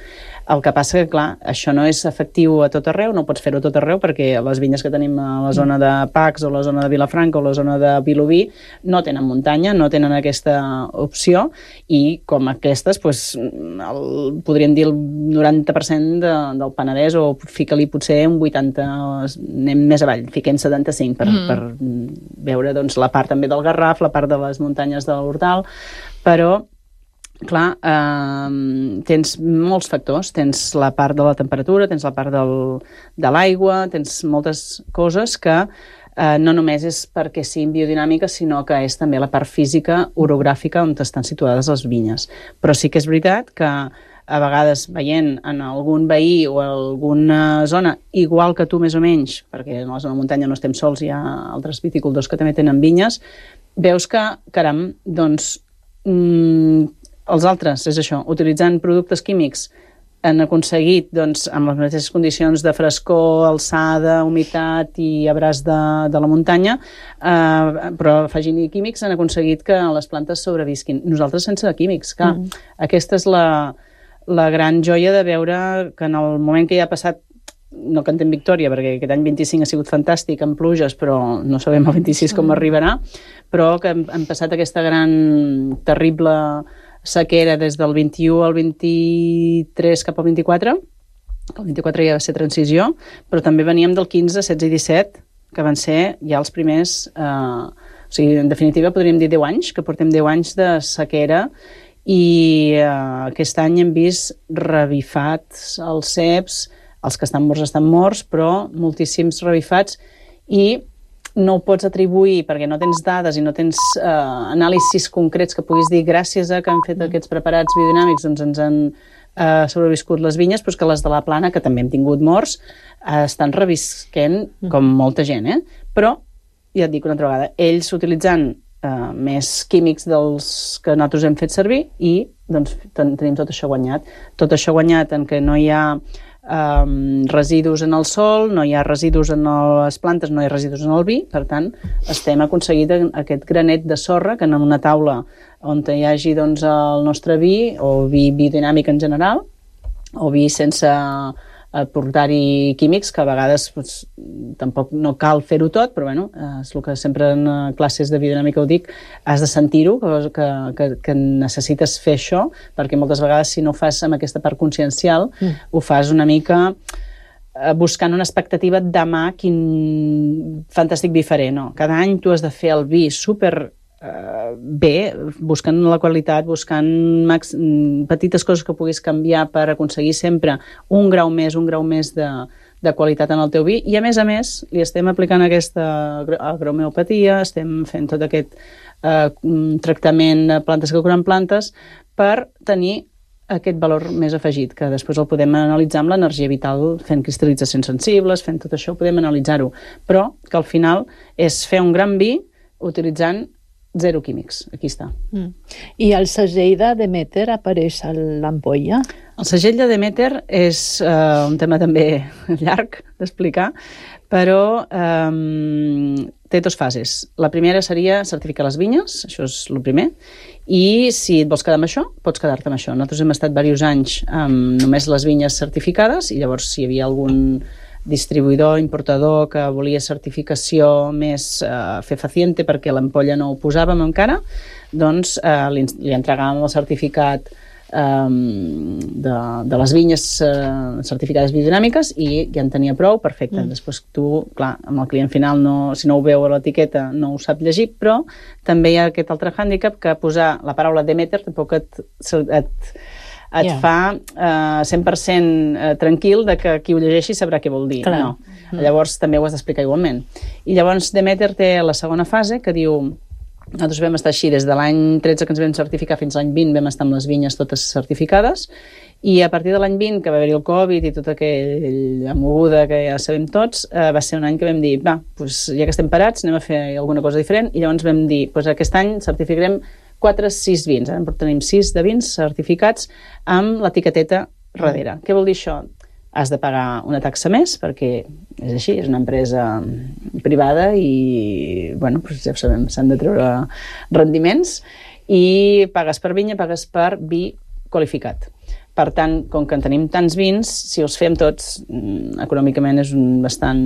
El que passa que, clar, això no és efectiu a tot arreu, no pots fer-ho a tot arreu perquè les vinyes que tenim a la zona de Pacs o la zona de Vilafranca o la zona de Vilobí no tenen muntanya, no tenen aquesta opció i com aquestes, doncs, el, podríem dir el noranta per cent de, del Penedès o fica-li potser un vuitanta, anem més avall, fiquem setanta-cinc per, mm. per veure doncs, la part també del Garraf, la part de les muntanyes de l'Hortal, però clar, eh, tens molts factors, tens la part de la temperatura, tens la part del, de l'aigua, tens moltes coses que eh, no només és perquè siguin biodinàmiques, sinó que és també la part física, orogràfica, on estan situades les vinyes. Però sí que és veritat que a vegades veient en algun veí o alguna zona, igual que tu més o menys, perquè en la zona de muntanya no estem sols, hi ha altres viticultors que també tenen vinyes, veus que, caram, doncs, mmm, els altres, és això, utilitzant productes químics han aconseguit, doncs, amb les mateixes condicions de frescor, alçada, humitat i abraç de, de la muntanya, eh, però afegint-hi químics han aconseguit que les plantes sobrevisquin. Nosaltres sense químics, clar. Mm. Aquesta és la, la gran joia de veure que en el moment que ja ha passat no cantem victòria, perquè aquest any vint-i-cinc ha sigut fantàstic, amb pluges, però no sabem el vint-i-sis com arribarà, però que hem, hem passat aquesta gran, terrible sequera des del vint-i-u al vint-i-tres cap al vint-i-quatre, el vint-i-quatre ja va ser transició, però també veníem del quinze, setze i disset, que van ser ja els primers... Eh, o sigui, en definitiva, podríem dir deu anys, que portem deu anys de sequera, i eh, aquest any hem vist revifats els ceps, els que estan morts estan morts, però moltíssims revifats, i no ho pots atribuir perquè no tens dades i no tens eh, anàlisis concrets que puguis dir gràcies a que han fet aquests preparats biodinàmics, doncs ens han Uh, sobreviscut les vinyes, però que les de la plana, que també hem tingut morts, uh, estan revisquent com molta gent, eh? Però, ja et dic una altra vegada, ells utilitzant uh, més químics dels que nosaltres hem fet servir i doncs ten tenim tot això guanyat. Tot això guanyat en què no hi ha um, residus en el sol, no hi ha residus en les plantes, no hi ha residus en el vi, per tant, estem aconseguit aquest granet de sorra que en una taula on hi hagi doncs, el nostre vi, o vi biodinàmic en general, o vi sense aportar-hi químics, que a vegades doncs, tampoc no cal fer-ho tot, però bueno, és el que sempre en classes de biodinàmica ho dic, has de sentir-ho, que, que, que necessites fer això, perquè moltes vegades si no ho fas amb aquesta part consciencial, mm. ho fas una mica buscant una expectativa de demà quin fantàstic vi faré, no? Cada any tu has de fer el vi super Uh, bé, buscant la qualitat, buscant max, petites coses que puguis canviar per aconseguir sempre un grau més, un grau més de, de qualitat en el teu vi, i a més a més li estem aplicant aquesta agromeopatia, estem fent tot aquest uh, tractament de plantes que curen plantes per tenir aquest valor més afegit, que després el podem analitzar amb l'energia vital, fent cristal·litzacions sensibles, fent tot això, podem analitzar-ho, però que al final és fer un gran vi utilitzant zero químics, aquí està. Mm. I el segell de Demeter apareix a l'ampolla? El segell de Demeter és uh, un tema també llarg d'explicar, però um, té dues fases. La primera seria certificar les vinyes, això és el primer, i si et vols quedar amb això, pots quedar-te amb això. Nosaltres hem estat diversos anys amb només les vinyes certificades, i llavors si hi havia algun distribuïdor, importador que volia certificació més eh, fefaciente perquè l'ampolla no ho posàvem encara, doncs eh, li, li entregàvem el certificat eh, de, de les vinyes eh, certificades biodinàmiques i ja en tenia prou, perfecte. Mm. Després tu, clar, amb el client final, no, si no ho veu a l'etiqueta no ho sap llegir, però també hi ha aquest altre hàndicap que posar la paraula Demeter tampoc et... et et yeah. fa uh, cent per cent tranquil de que qui ho llegeixi sabrà què vol dir. Clar. No. Mm. Llavors també ho has d'explicar igualment. I llavors Demeter té la segona fase que diu, nosaltres vam estar així des de l'any tretze que ens vam certificar fins l'any vint, vam estar amb les vinyes totes certificades, i a partir de l'any vint, que va haver-hi el Covid i tota aquella moguda que ja sabem tots, uh, va ser un any que vam dir, va, doncs, ja que estem parats, anem a fer alguna cosa diferent, i llavors vam dir, doncs aquest any certificarem quatre, sis vins, ara tenim sis de vins certificats amb l'etiqueteta darrere. Què vol dir això? Has de pagar una taxa més, perquè és així, és una empresa privada i, bueno, doncs ja ho sabem, s'han de treure rendiments, i pagues per vinya, pagues per vi qualificat. Per tant, com que en tenim tants vins, si els fem tots, econòmicament és un bastant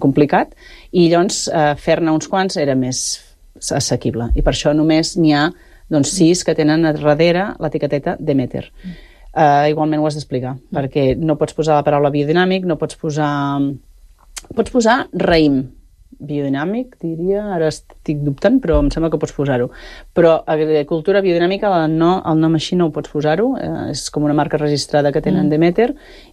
complicat, i llavors eh, fer-ne uns quants era més assequible, i per això només n'hi ha doncs, sis que tenen a darrere l'etiqueteta Demeter. Uh, igualment ho has d'explicar, mm. perquè no pots posar la paraula biodinàmic, no pots posar... Pots posar raïm biodinàmic, diria, ara estic dubtant, però em sembla que pots posar-ho. Però agricultura biodinàmica, el, no, el nom així no ho pots posar-ho, eh, és com una marca registrada que tenen mm. Demeter,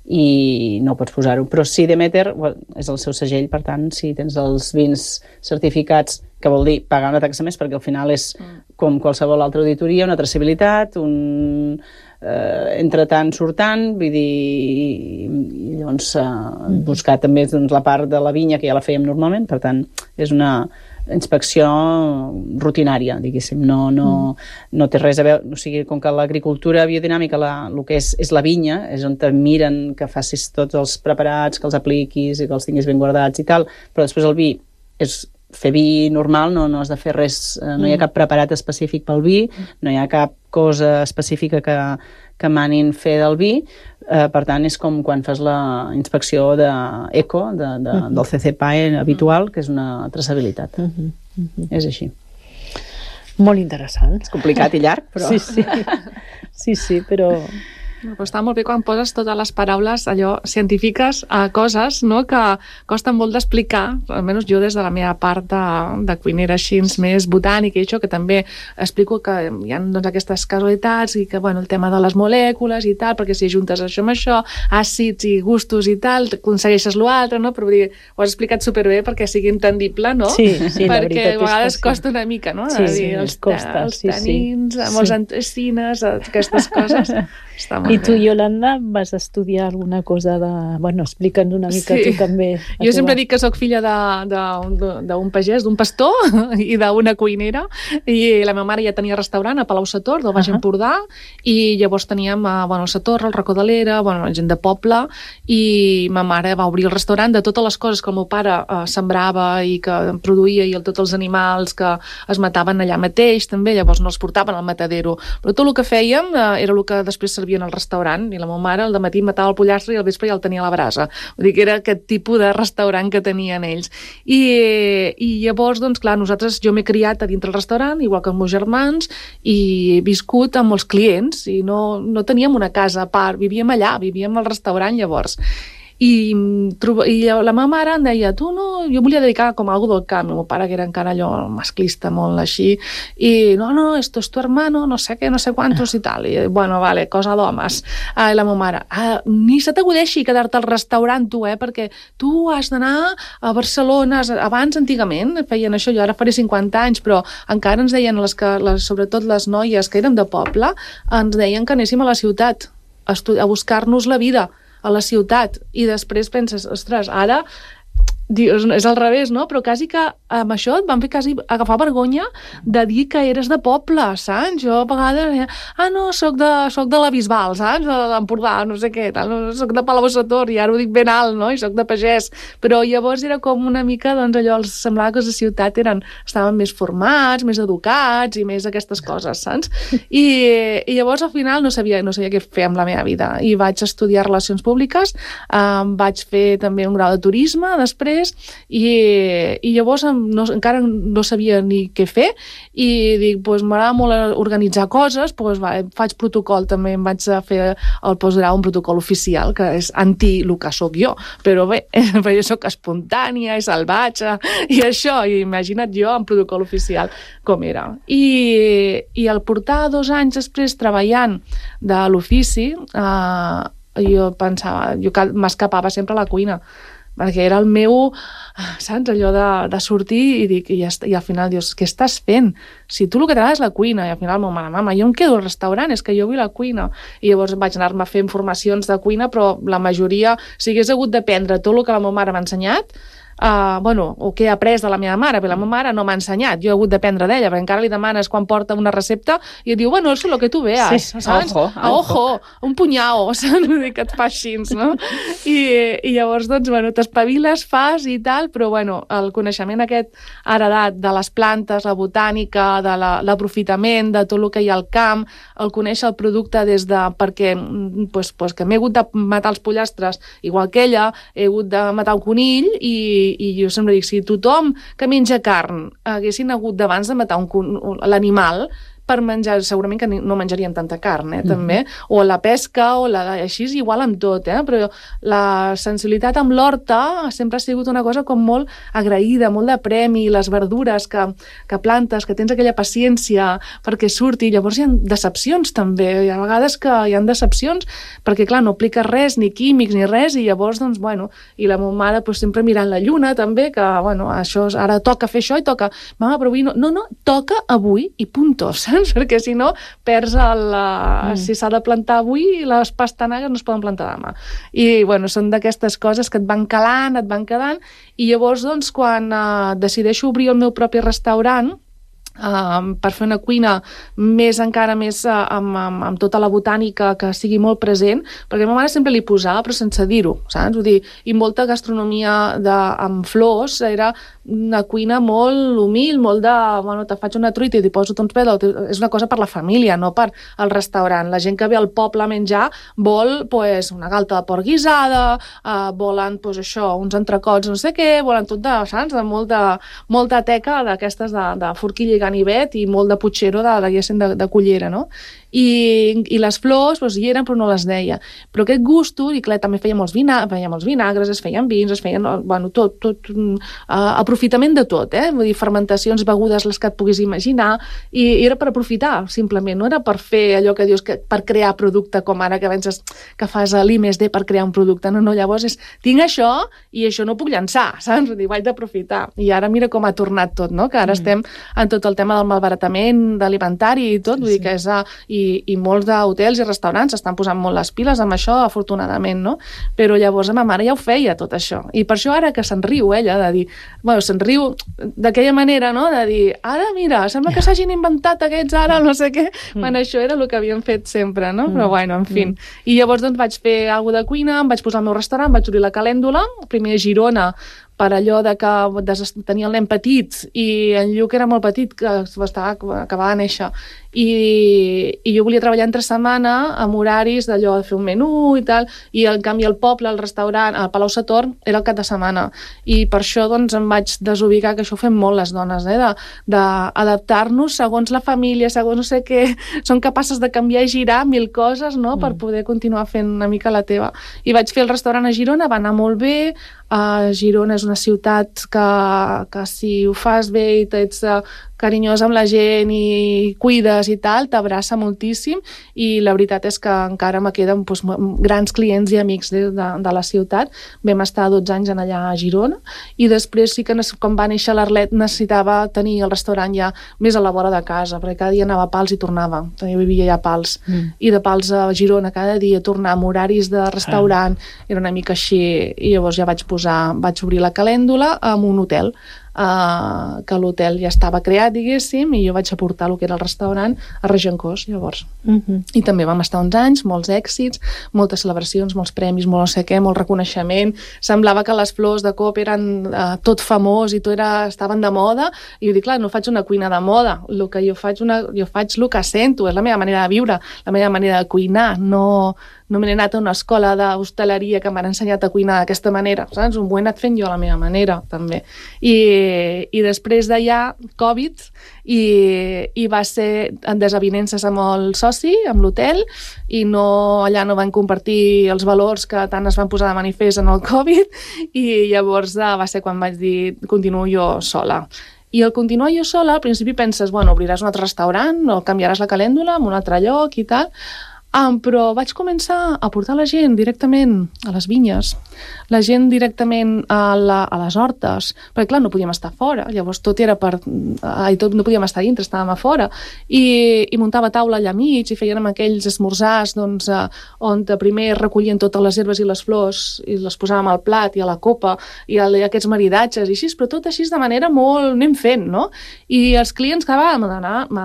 i no pots posar-ho. Però sí, Demeter well, és el seu segell, per tant, si tens els vins certificats, que vol dir pagar una taxa més, perquè al final és com qualsevol altra auditoria, una traçabilitat, un... Eh, entre tant surtant, vull dir, i, i llavors eh, mm. buscar també doncs, la part de la vinya que ja la fèiem normalment, per tant és una inspecció rutinària, diguéssim, no, no, mm. no té res a veure, o sigui, com que l'agricultura biodinàmica la, el que és, és la vinya, és on te miren que facis tots els preparats, que els apliquis i que els tinguis ben guardats i tal, però després el vi és fer vi normal, no, no has de fer res, no hi ha cap preparat específic pel vi, no hi ha cap cosa específica que, que manin fer del vi. Eh, per tant, és com quan fas la inspecció d'ECO, de, de, uh-huh. del C C P A E habitual, que és una traçabilitat. Uh-huh. Uh-huh. És així. Molt interessant. És complicat i llarg, però... Sí, sí, sí, sí però... Però està molt bé quan poses totes les paraules allò científiques a coses, no?, que costen molt d'explicar, almenys jo des de la meva part de, de cuinera així més botànica i això, que també explico que hi ha doncs, aquestes casualitats i que bueno, el tema de les molècules i tal, perquè si juntes això amb això, àcids i gustos i tal, aconsegueixes l'altre, no? Però dir, ho has explicat superbé perquè sigui entendible, no? Sí, sí, la perquè veritat a vegades és que sí. costa una mica, no? Sí, dir, sí, els, costa, els sí, tanins, sí. amb els Sí. antecines, aquestes coses. Està molt I tu, bé. Yolanda, vas estudiar alguna cosa de... Bueno, explica'ns una mica Sí. tu també. Jo sempre dic que sóc filla d'un pagès, d'un pastor i d'una cuinera, i la meva mare ja tenia restaurant a Palau-sator, del Baix Uh-huh. Empordà, i llavors teníem uh, bueno, el Sator, el Racó de l'Era, bueno, gent de poble, i ma mare va obrir el restaurant de totes les coses que el meu pare uh, sembrava i que produïa, i el, tots els animals que es mataven allà mateix, també, llavors no els portaven al matadero, però tot el que fèiem uh, era el que després servien al restaurant, i la meva mare al dematí matava el pollastre i al vespre ja el tenia a la brasa. Vull dir que era aquest tipus de restaurant que tenien ells. I, i llavors, doncs clar, nosaltres, jo m'he criat a dintre el restaurant, igual que els meus germans, i he viscut amb molts clients, i no, no teníem una casa a part, vivíem allà, vivíem al restaurant llavors. I, i la meva mare em deia, tu no, jo volia dedicar com a algo del camp, el meu pare que era encara allò masclista, molt així, i no, no, esto es tu hermano, no sé què, no sé quantos i tal, i bueno, vale, cosa d'homes. Ah, i la meva mare, ah, ni se t'acudeixi quedar-te al restaurant tu, eh, perquè tu has d'anar a Barcelona, abans antigament feien això, jo ara faré cinquanta anys, però encara ens deien, les que, les, sobretot les noies que érem de poble, ens deien que anéssim a la ciutat a, a buscar-nos la vida a la ciutat, i després penses, ostres, ara dius, és al revés, no? Però quasi que amb això et van fer quasi agafar vergonya de dir que eres de poble, saps? Jo a vegades, ah no, soc de, soc de la Bisbal, saps? De l'Empordà, no sé què, tal, no, soc de Palau-sator, i ara ho dic ben alt, no? I soc de pagès, però llavors era com una mica, doncs allò, els semblava que la ciutat eren, estaven més formats, més educats i més aquestes coses, saps? I, i llavors al final no sabia, no sabia què fer amb la meva vida, i vaig estudiar Relacions Públiques, eh, vaig fer també un grau de turisme després, i, i llavors no, encara no sabia ni què fer, i dic, doncs m'agrada molt organitzar coses, doncs va, faig protocol també, em vaig fer el postgrau un protocol oficial, que és anti el que soc jo, però bé, jo soc espontània i salvatge i això, i imagina't jo en protocol oficial com era. I, i al portar dos anys després treballant de l'ofici, eh, jo pensava, jo m'escapava sempre a la cuina, perquè era el meu, saps, allò de, de sortir i, dic, i, i al final dius, què estàs fent? Si tu el que t'agrada és la cuina, i al final, mama, mama, jo em quedo al restaurant, és que jo vull la cuina. I llavors vaig anar-me a fer formacions de cuina, però la majoria, si hagués hagut d'aprendre tot el que la meva mare m'ha ensenyat, Uh, bueno, o que he après de la meva mare, perquè la meva mare no m'ha ensenyat, jo he hagut d'aprendre d'ella, perquè encara li demanes quan porta una recepta i et diu, bueno, és el que tu veas, sí, saps? Ojo, a ojo, un punyao, saps? Que et fa així, no? I, i llavors, doncs, bueno, t'espaviles, fas i tal, però, bueno, el coneixement aquest heredat de les plantes, la botànica, de l'aprofitament, de tot el que hi ha al camp, el conèixer el producte des de... perquè, pues, pues, que m'he hagut de matar els pollastres igual que ella, he hagut de matar un conill i i jo sempre dic, si tothom que menja carn haguessin hagut d'abans de matar l'animal per menjar, segurament que no menjaríem tanta carn, eh, també, o la pesca, o la així és igual amb tot, eh, però la sensibilitat amb l'horta sempre ha sigut una cosa com molt agraïda, molt de premi, les verdures que, que plantes, que tens aquella paciència perquè surti, llavors hi ha decepcions també, hi ha vegades que hi ha decepcions, perquè clar, no apliques res, ni químics, ni res, i llavors, doncs, bueno, i la meva mare pues, sempre mirant la lluna, també, que, bueno, això, ara toca fer això i toca, mama, però avui no, no, no, toca avui i punto, saps? Perquè si no perds el... Mm. Si s'ha de plantar avui, les pastanagues no es poden plantar demà. I, bueno, són d'aquestes coses que et van calant, et van quedant, i llavors, doncs, quan uh, decideixo obrir el meu propi restaurant, Uh, per fer una cuina més encara més uh, amb, amb, amb tota la botànica que sigui molt present, perquè a ma mare sempre li posava però sense dir-ho, saps? Vull dir, i molta gastronomia de, amb flors era una cuina molt humil, molt de, bueno, te faig una truita i t'hi poso uns pèls, és una cosa per la família, no per al restaurant. La gent que ve al poble a menjar vol pues, una galta de porc guisada, eh, volen pues, això, uns entrecots no sé què, volen tot de, saps? De molta, molta teca d'aquestes de, de forquilla i ganivet i molt de putxero de, de, de, de cullera, no? I, i les flors doncs, hi eren però no les deia. Però aquest gusto, i clar, també feia molts, vina, feia molts vinagres, es feien vins, es feien, bueno, tot, tot uh, aprofitament de tot, eh? Vull dir, fermentacions, begudes, les que et puguis imaginar, i, i era per aprofitar, simplement, no era per fer allò que dius, que per crear producte, com ara que penses que fas l'I més D per crear un producte, no, no, llavors és, tinc això i això no puc llançar, saps? Vull dir, vaig d'aprofitar. I ara mira com ha tornat tot, no? Que ara mm. estem en tot el tema del malbaratament alimentari i tot, vull dir que és... A, i I, i molts d'hotels i restaurants estan posant molt les piles amb això, afortunadament, no? Però llavors ma mare ja ho feia, tot això. I per això ara que se'n riu ella, de dir... Bueno, se'n riu d'aquella manera, no? De dir, ara, mira, sembla que s'hagin inventat aquests ara, no sé què. Mm. Bueno, això era el que havien fet sempre, no? Mm. Però, bueno, en fi. Mm. I llavors, doncs, vaig fer alguna de cuina, em vaig posar al meu restaurant, vaig obrir la calèndula, primer a Girona, per allò de que tenia el nen petit i en Lluc era molt petit, que estava, acabava de néixer, i, i jo volia treballar entre setmana amb horaris d'allò de fer un menú i tal, i en canvi el poble, el restaurant, el Palau Satorn, era el cap de setmana, i per això doncs em vaig desubicar, que això ho fem molt les dones, eh? d'adaptar-nos segons la família, segons no sé què, són capaces de canviar i girar mil coses, no?, per poder continuar fent una mica la teva. I vaig fer el restaurant a Girona, va anar molt bé. Uh, Girona és una ciutat que, que si ho fas bé i ets uh, carinyós amb la gent i cuides i tal, t'abraça moltíssim, i la veritat és que encara me queden doncs, grans clients i amics de, de, de la ciutat. Vam estar dotze anys en allà a Girona, i després sí que quan va néixer l'Arlet necessitava tenir el restaurant ja més a la vora de casa, perquè cada dia anava a Pals i tornava, jo vivia ja a Pals, mm. i de Pals a Girona cada dia tornar amb horaris de restaurant, ah. era una mica així, i llavors ja vaig posar, vaig obrir la calèndula amb un hotel, Uh, que l'hotel ja estava creat, diguéssim, i jo vaig aportar el que era el restaurant a Regencós, llavors. Uh-huh. I també vam estar uns anys, molts èxits, moltes celebracions, molts premis, molt no sé què, molt reconeixement. Semblava que les flors de cop eren uh, tot famós i tot era, estaven de moda, i jo dic, clar, no faig una cuina de moda, el que jo faig, una, jo faig el que sento, és la meva manera de viure, la meva manera de cuinar, no... no m'he anat a una escola d'hostaleria que m'han ensenyat a cuinar d'aquesta manera, saps? Ho he anat fent jo a la meva manera, també. I, i després d'allà, Covid, i, i va ser en desavinences amb el soci, amb l'hotel, i no, allà no van compartir els valors que tant es van posar de manifest en el Covid, i llavors va ser quan vaig dir, continuo jo sola. I al continuar jo sola, al principi penses, bueno, obriràs un altre restaurant, o canviaràs la calèndula en un altre lloc i tal, Um, però vaig començar a portar la gent directament a les vinyes, la gent directament a, la, a les hortes, perquè clar, no podíem estar fora, llavors tot era per... Uh, tot, no podíem estar dintre, estàvem a fora, i, i muntava taula allà mig, i feien amb aquells esmorzars, doncs, uh, on primer recollien totes les herbes i les flors, i les posàvem al plat i a la copa, i, a, i aquests maridatges, i així, però tot així de manera molt... anem fent, no? I els clients que va, me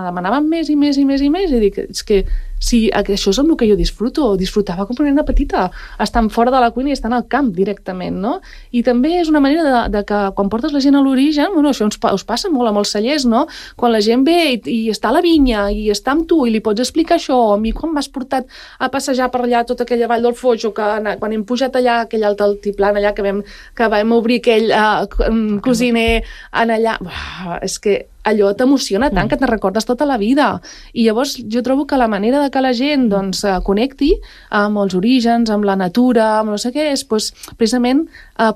demanaven més i més i més i més, i dic, és que si això és amb el que jo disfruto, disfrutava com una nena petita, estant fora de la cuina i estant al camp directament, no? I també és una manera de, de que quan portes la gent a l'origen, bueno, això us, us passa molt a molts cellers, no? Quan la gent ve i, i està a la vinya i està amb tu i li pots explicar això, a mi quan m'has portat a passejar per allà tota aquella vall del Foix, o que quan hem pujat allà aquell alt altiplan allà que vam, que vam obrir aquell uh, cosiner en allà, uah, és que allò t'emociona tant que te'n recordes tota la vida. I llavors jo trobo que la manera de que la gent doncs, connecti amb els orígens, amb la natura, amb no sé què, és doncs, precisament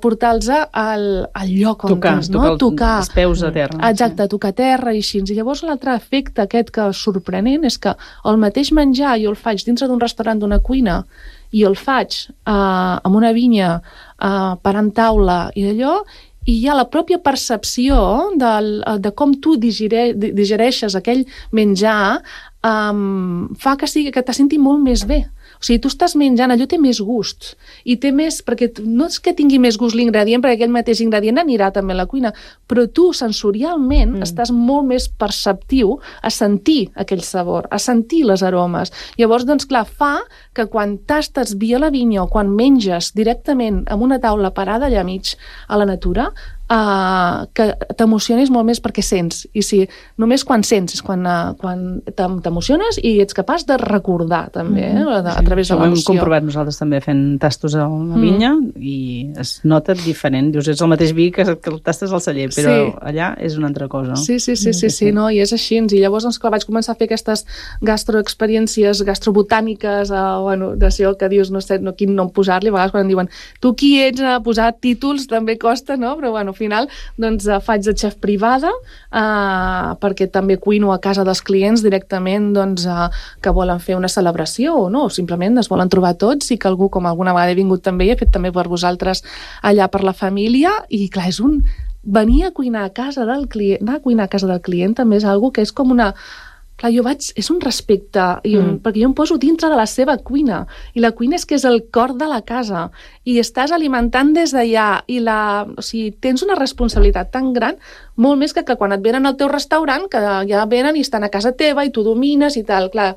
portar-los al, al lloc on tocar, és, no? Tocar, tocar els peus a terra. Exacte, tocar terra i així. I llavors l'altre efecte aquest que és sorprenent és que el mateix menjar jo el faig dintre d'un restaurant, d'una cuina, i el faig uh, amb una vinya, uh, parant taula i d'allò, i hi ha la pròpia percepció del, de com tu digere, digereixes aquell menjar, um, fa que, sigui, que te senti molt més bé. O sigui, tu estàs menjant, allò té més gust, i té més, perquè no és que tingui més gust l'ingredient, perquè aquell mateix ingredient anirà també a la cuina, però tu sensorialment mm. estàs molt més perceptiu a sentir aquell sabor, a sentir les aromes. Llavors, doncs clar, fa que quan tastes via la vinya o quan menges directament amb una taula parada allà mig a la natura, uh, que t'emocionis molt més perquè sents. I si només quan sents és quan, uh, quan t'emociones i ets capaç de recordar també, eh? Mm-hmm. a, a través sí, de l'emoció. Ho hem comprovat nosaltres també fent tastos a la vinya mm. i es nota diferent. Dius, és el mateix vi que, que el tastes al celler, però sí. allà és una altra cosa. Sí, sí, sí, sí, sí, sí, no? I és així. I llavors, doncs, clar, vaig començar a fer aquestes gastroexperiències gastrobotàniques, eh, bueno, d'això que dius, no sé, no, quin nom posar-li, a vegades quan em diuen tu qui ets a posar títols, també costa, no? Però, bueno, al final, doncs, faig de xef privada, eh, perquè també cuino a casa dels clients directament, doncs, eh, que volen fer una celebració o no, o simplement es volen trobar tots i que algú, com alguna vegada he vingut també, he fet també per vosaltres allà per la família, i clar, és un... venir a cuinar a casa del client, anar a cuinar a casa del client també és algo que és com una... Clar, jo vaig... És un respecte, i un, mm. perquè jo em poso dintre de la seva cuina, i la cuina és que és el cor de la casa, i estàs alimentant des d'allà, i la... O sigui, tens una responsabilitat tan gran, molt més que, que quan et venen al teu restaurant, que ja venen i estan a casa teva i tu domines i tal. Clar,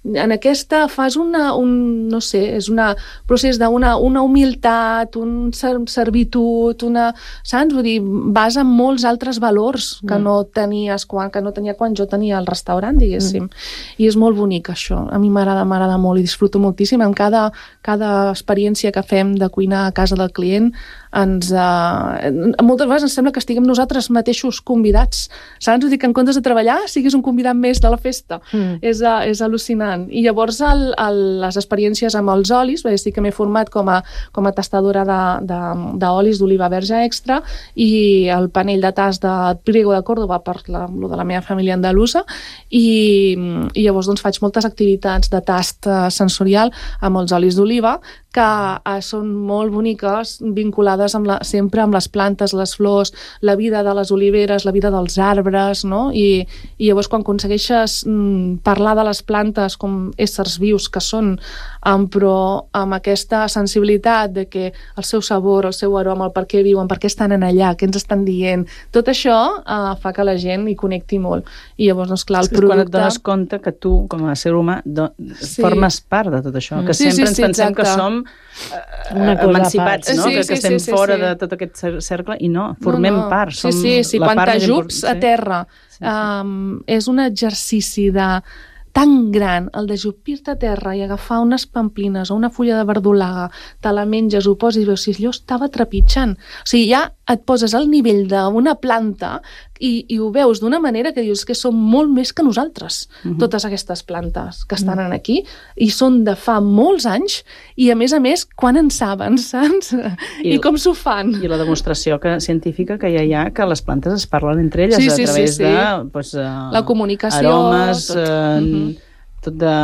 en aquesta fas una, un, no sé, és un procés d'una una humilitat, un servitud, una, saps? Vull dir, vas amb molts altres valors que mm. no tenies quan, que no tenia quan jo tenia el restaurant, diguéssim. Mm. I és molt bonic, això. A mi m'agrada, m'agrada molt i disfruto moltíssim. En cada, cada experiència que fem de cuinar a casa del client, ens, eh, moltes vegades ens sembla que estiguem nosaltres mateixos convidats, saps? Vull dir que en comptes de treballar siguis un convidat més de la festa. Mm. És, és al·lucinant. I llavors el, el, les experiències amb els olis, perquè sí que m'he format com a, com a tastadora d'olis d'oliva verge extra, i el panell de tast de Priego de Córdoba per la, lo de la meva família andalusa, i, i llavors doncs, faig moltes activitats de tast sensorial amb els olis d'oliva, que eh, són molt boniques, vinculades amb la, sempre amb les plantes, les flors, la vida de les oliveres, la vida dels arbres, no? I, i llavors quan aconsegueixes mm, parlar de les plantes com éssers vius que són, um, però amb aquesta sensibilitat de que el seu sabor, el seu aroma, el per què viuen, per què estan en allà, què ens estan dient, tot això uh, fa que la gent hi connecti molt. I llavors, doncs, clar, el producte... Quan et dones compte que tu, com a ser humà, do... sí. formes part de tot això, que sí, sempre sí, sí, ens pensem exacte. que som Una cosa emancipats, no? Sí, que, sí, que estem sí, sí, fora sí. de tot aquest cercle, i no, formem no, no. part. Som sí, sí, sí, la quan part t'ajups a terra, sí, sí. Um, és un exercici de tan gran, el d'ajupir-te a terra i agafar unes pamplines o una fulla de verdolaga, te la menges, ho poses i veus si allò estava trepitjant. O sigui, ja et poses al nivell d'una planta i, i ho veus d'una manera que dius que són molt més que nosaltres, uh-huh. totes aquestes plantes que estan uh-huh. aquí, i són de fa molts anys, i a més a més, quan en saben, saps? I, I com s'ho fan. I la demostració que, científica que ja hi ha, que les plantes es parlen entre elles sí, a sí, través sí, sí. de pues, uh, la comunicació, aromes, tot. Uh, uh-huh. tot de...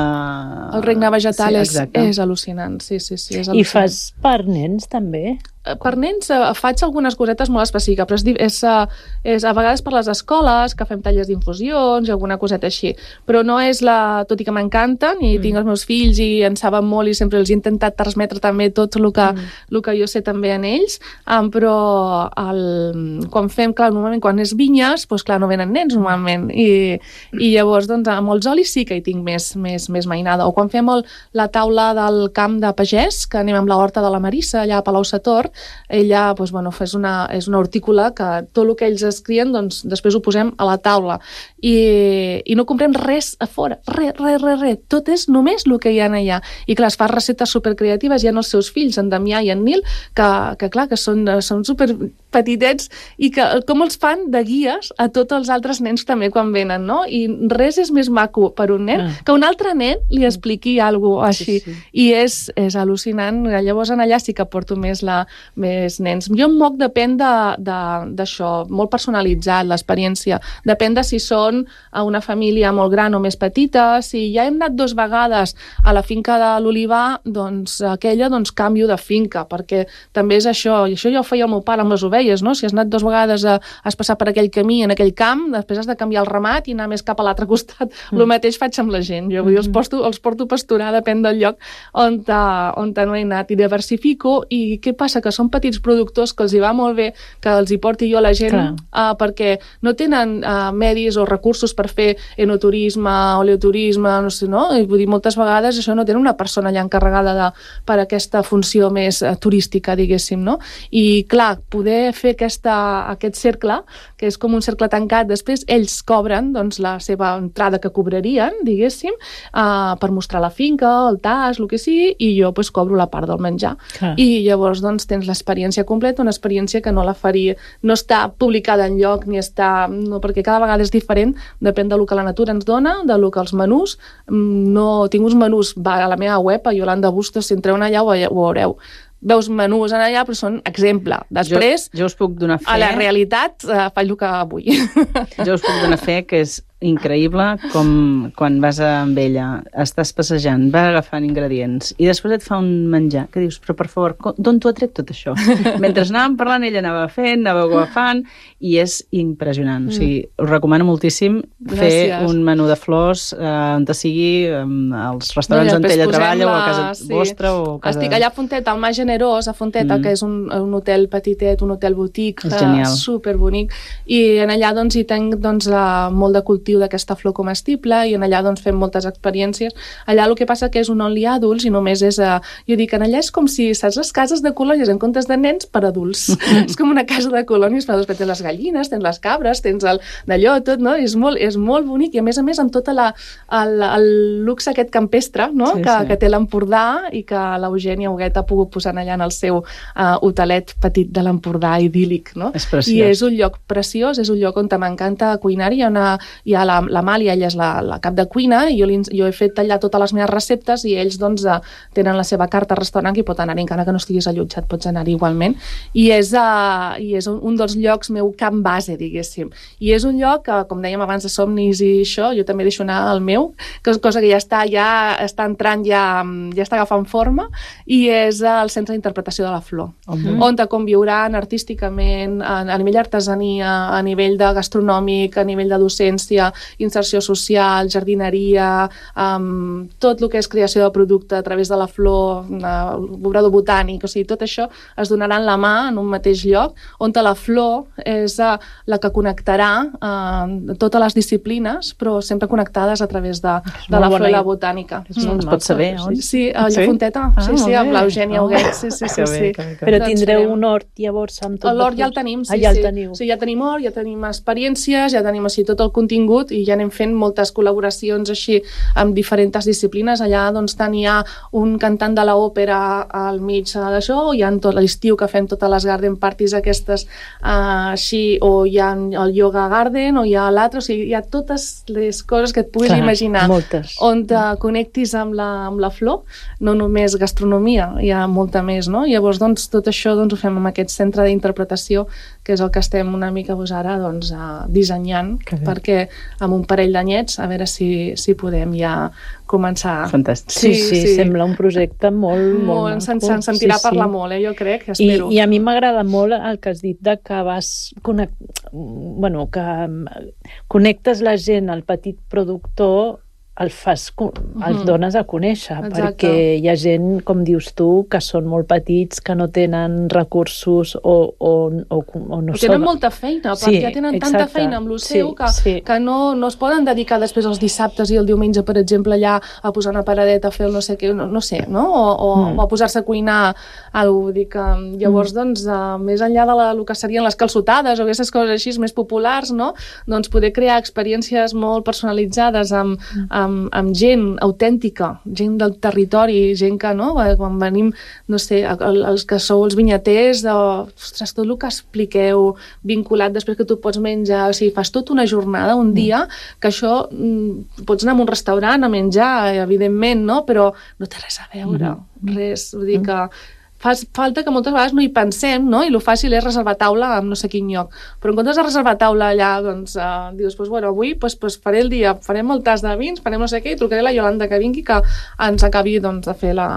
El regne vegetal sí, és, és al·lucinant, sí, sí, sí. És al·lucinant. I fas per nens, també? Per nens eh, faig algunes cosetes molt específiques, però és, és, és a vegades per les escoles, que fem tallers d'infusions i alguna coseta així, però no és la... Tot i que m'encanten, i mm. tinc els meus fills i en saben molt i sempre els he intentat transmetre també tot el que, mm. el que jo sé també en ells, um, però el, quan fem, clar, normalment quan és vinyes, doncs clar, no venen nens normalment, i, i llavors doncs amb els olis sí que hi tinc més, més, més mainada, o quan fem el, la taula del camp de pagès, que anem amb la horta de la Marissa allà a Palau-sator, ella doncs, bueno, és, una, és una hortícola que tot el que ells es crien doncs, després ho posem a la taula i, i no comprem res a fora, res, res, res, res, tot és només el que hi ha allà, i clar, es fa receptes supercreatives, hi ha els seus fills, en Damià i en Nil, que, que clar, que són, són super petitets i que com els fan de guies a tots els altres nens també quan venen, no? I res és més maco per un nen ah. que un altre nen li expliqui alguna cosa així, sí, sí. i és, és al·lucinant. Llavors en allà sí que porto més, la, més nens. Jo em moc depèn d'això, de, de, molt personalitzat l'experiència, depèn de si són a una família molt gran o més petita. Si ja hem anat dues vegades a la finca de l'Olivar, doncs aquella doncs canvio de finca, perquè també és això, i això ja ho feia el meu pare amb les ovelles, no? Si has anat dues vegades a, has passat per aquell camí en aquell camp, després has de canviar el ramat i anar més cap a l'altre costat. Mm. El mateix faig amb la gent, jo vull dir, els, porto, els porto a pasturar, depèn del lloc on, ta, on ta no he anat, i diversifico. I què passa? Que que són petits productors que els hi va molt bé que els hi porti jo a la gent, uh, perquè no tenen uh, medis o recursos per fer enoturisme, oleoturisme, no sé, no? I vull dir, moltes vegades això no tenen una persona allà encarregada de, per aquesta funció més uh, turística, diguéssim, no? I, clar, poder fer aquesta, aquest cercle, que és com un cercle tancat, després ells cobren, doncs, la seva entrada que cobrarien, diguéssim, uh, per mostrar la finca, el tas, el que sigui, i jo, pues, cobro la part del menjar. Clar. I llavors, doncs, tens l'experiència completa, una experiència que no la faria, no està publicada en lloc, ni està, no, perquè cada vegada és diferent, depèn del que la natura ens dona, del que els menús, no tinc uns menús, va a la meva web, a Yolanda Bustos, si entreu allà ho, ho veureu. Veus menús en allà, però són exemple. Després, jo, jo us puc donar fe... a la realitat, eh, faig el que vull. Jo us puc donar fe que és increïble com quan vas amb ella, estàs passejant, vas agafant ingredients i després et fa un menjar que dius, però per favor, d'on t'ho ha tret tot això? Mentre anàvem parlant, ella anava fent, anava agafant i és impressionant. Mm. O sigui, us recomano moltíssim fer Gràcies. un menú de flors eh, on te sigui, eh, als restaurants no, on ella treballa la... o a casa sí. vostra o a casa... Estic allà a Fonteta, al Mar Generós, a Fonteta, mm. que és un, un hotel petitet, un hotel botic, superbonic, i en allà doncs hi tenc doncs, la, molt de cultiu d'aquesta flor comestible i en allà doncs fem moltes experiències. Allà el que passa que és un only adults i només és, uh, jo dic, en allà és com si, saps, les cases de colònies en comptes de nens per adults. És com una casa de colònies per adults, que tens les gallines, tens les cabres, tens el d'allò, tot, no? És molt, és molt bonic i a més a més amb tot el, el luxe aquest campestre, no? Sí, que, sí. que té l'Empordà i que l'Eugènia Huguet ha pogut posar allà en el seu uh, hotelet petit de l'Empordà idíl·lic, no? És preciós. I és un lloc preciós, és un lloc on m'encanta cuinar, hi ha una, hi ha la, la Màlia, ella és la, la cap de cuina i jo, li, jo he fet allà totes les meves receptes i ells doncs uh, tenen la seva carta restaurant i pot anar-hi, encara que no estiguis allotjat pots anar-hi igualment i és, uh, i és un, un dels llocs meu camp base, diguéssim, i és un lloc que, com dèiem abans de somnis i això, jo també deixo anar el meu, que és cosa que ja està, ja està entrant, ja, ja està agafant forma i és el centre d'interpretació de la flor, uh-huh. on te conviuran artísticament, a, a nivell artesania, a nivell de gastronòmic, a nivell de docència, inserció social, jardineria, um, tot el que és creació de producte a través de la flor, uh, obrador botànic, o sigui, tot això es donaran la mà en un mateix lloc, on la flor és uh, la que connectarà uh, totes les disciplines, però sempre connectades a través de, de la flor i la botànica. És molt mm. Pots saber on? Sí, a sí? Fonteta, ah, sí, sí, amb l'Eugènia Huguet, sí, sí, sí. sí. Però tindreu un hort llavors amb tot? L'hort ja el tenim, sí, ah, ja el sí. teniu. Sí, ja tenim hort, ja tenim experiències, ja tenim així tot el contingut i ja anem fent moltes col·laboracions així amb diferents disciplines. Allà doncs tant hi ha un cantant de l'òpera al mig d'això, o hi ha tot l'estiu que fem totes les garden parties aquestes uh, així, o hi ha el yoga garden, o hi ha l'altre, o sigui, hi ha totes les coses que et puguis Clar, imaginar moltes. on te connectis amb la, amb la flor, no només gastronomia, hi ha molta més, no? Llavors, doncs, tot això doncs, ho fem amb aquest centre d'interpretació, que és el que estem una mica doncs, ara doncs, uh, dissenyant, perquè amb un parell d'anyets, a veure si, si podem ja començar. Fantàstic. Sí, sí, sí, sembla un projecte molt, molt, molt se'n se sentirà sí, parlar sí. molt, eh, jo crec, espero. I, i a mi m'agrada molt el que has dit de que vas connect... bueno, que connectes la gent al petit productor, el fas, els dones a conèixer, Exacte. perquè hi ha gent, com dius tu, que són molt petits, que no tenen recursos o, o, o, o no tenen són... molta feina, perquè sí, ja tenen exacte. tanta feina amb lo seu sí, que, sí. que no, no es poden dedicar després els dissabtes i el diumenge, per exemple, allà a posar una paradeta, a fer el no sé què, no, no sé, no? O, o, mm. o a posar-se a cuinar alguna dir que llavors, mm. doncs, uh, més enllà de la, el que serien les calçotades o aquestes coses així més populars, no? Doncs poder crear experiències molt personalitzades amb, amb Amb, amb gent autèntica, gent del territori, gent que, no, quan venim, no sé, els que sou els vinyaters, de, ostres, tot el que expliqueu vinculat després que tu pots menjar, o sigui, fas tota una jornada, un dia, que això mm, pots anar a un restaurant a menjar, evidentment, no? Però no té res a veure, mm-hmm. res, vull dir que fa falta que moltes vegades no hi pensem, no? I el fàcil és reservar taula en no sé quin lloc. Però en comptes de reservar taula allà, doncs, uh, dius, pues, bueno, avui pues, pues, faré el dia, farem el tas de vins, farem no sé què, i trucaré a la Yolanda que vingui que ens acabi doncs, de fer la,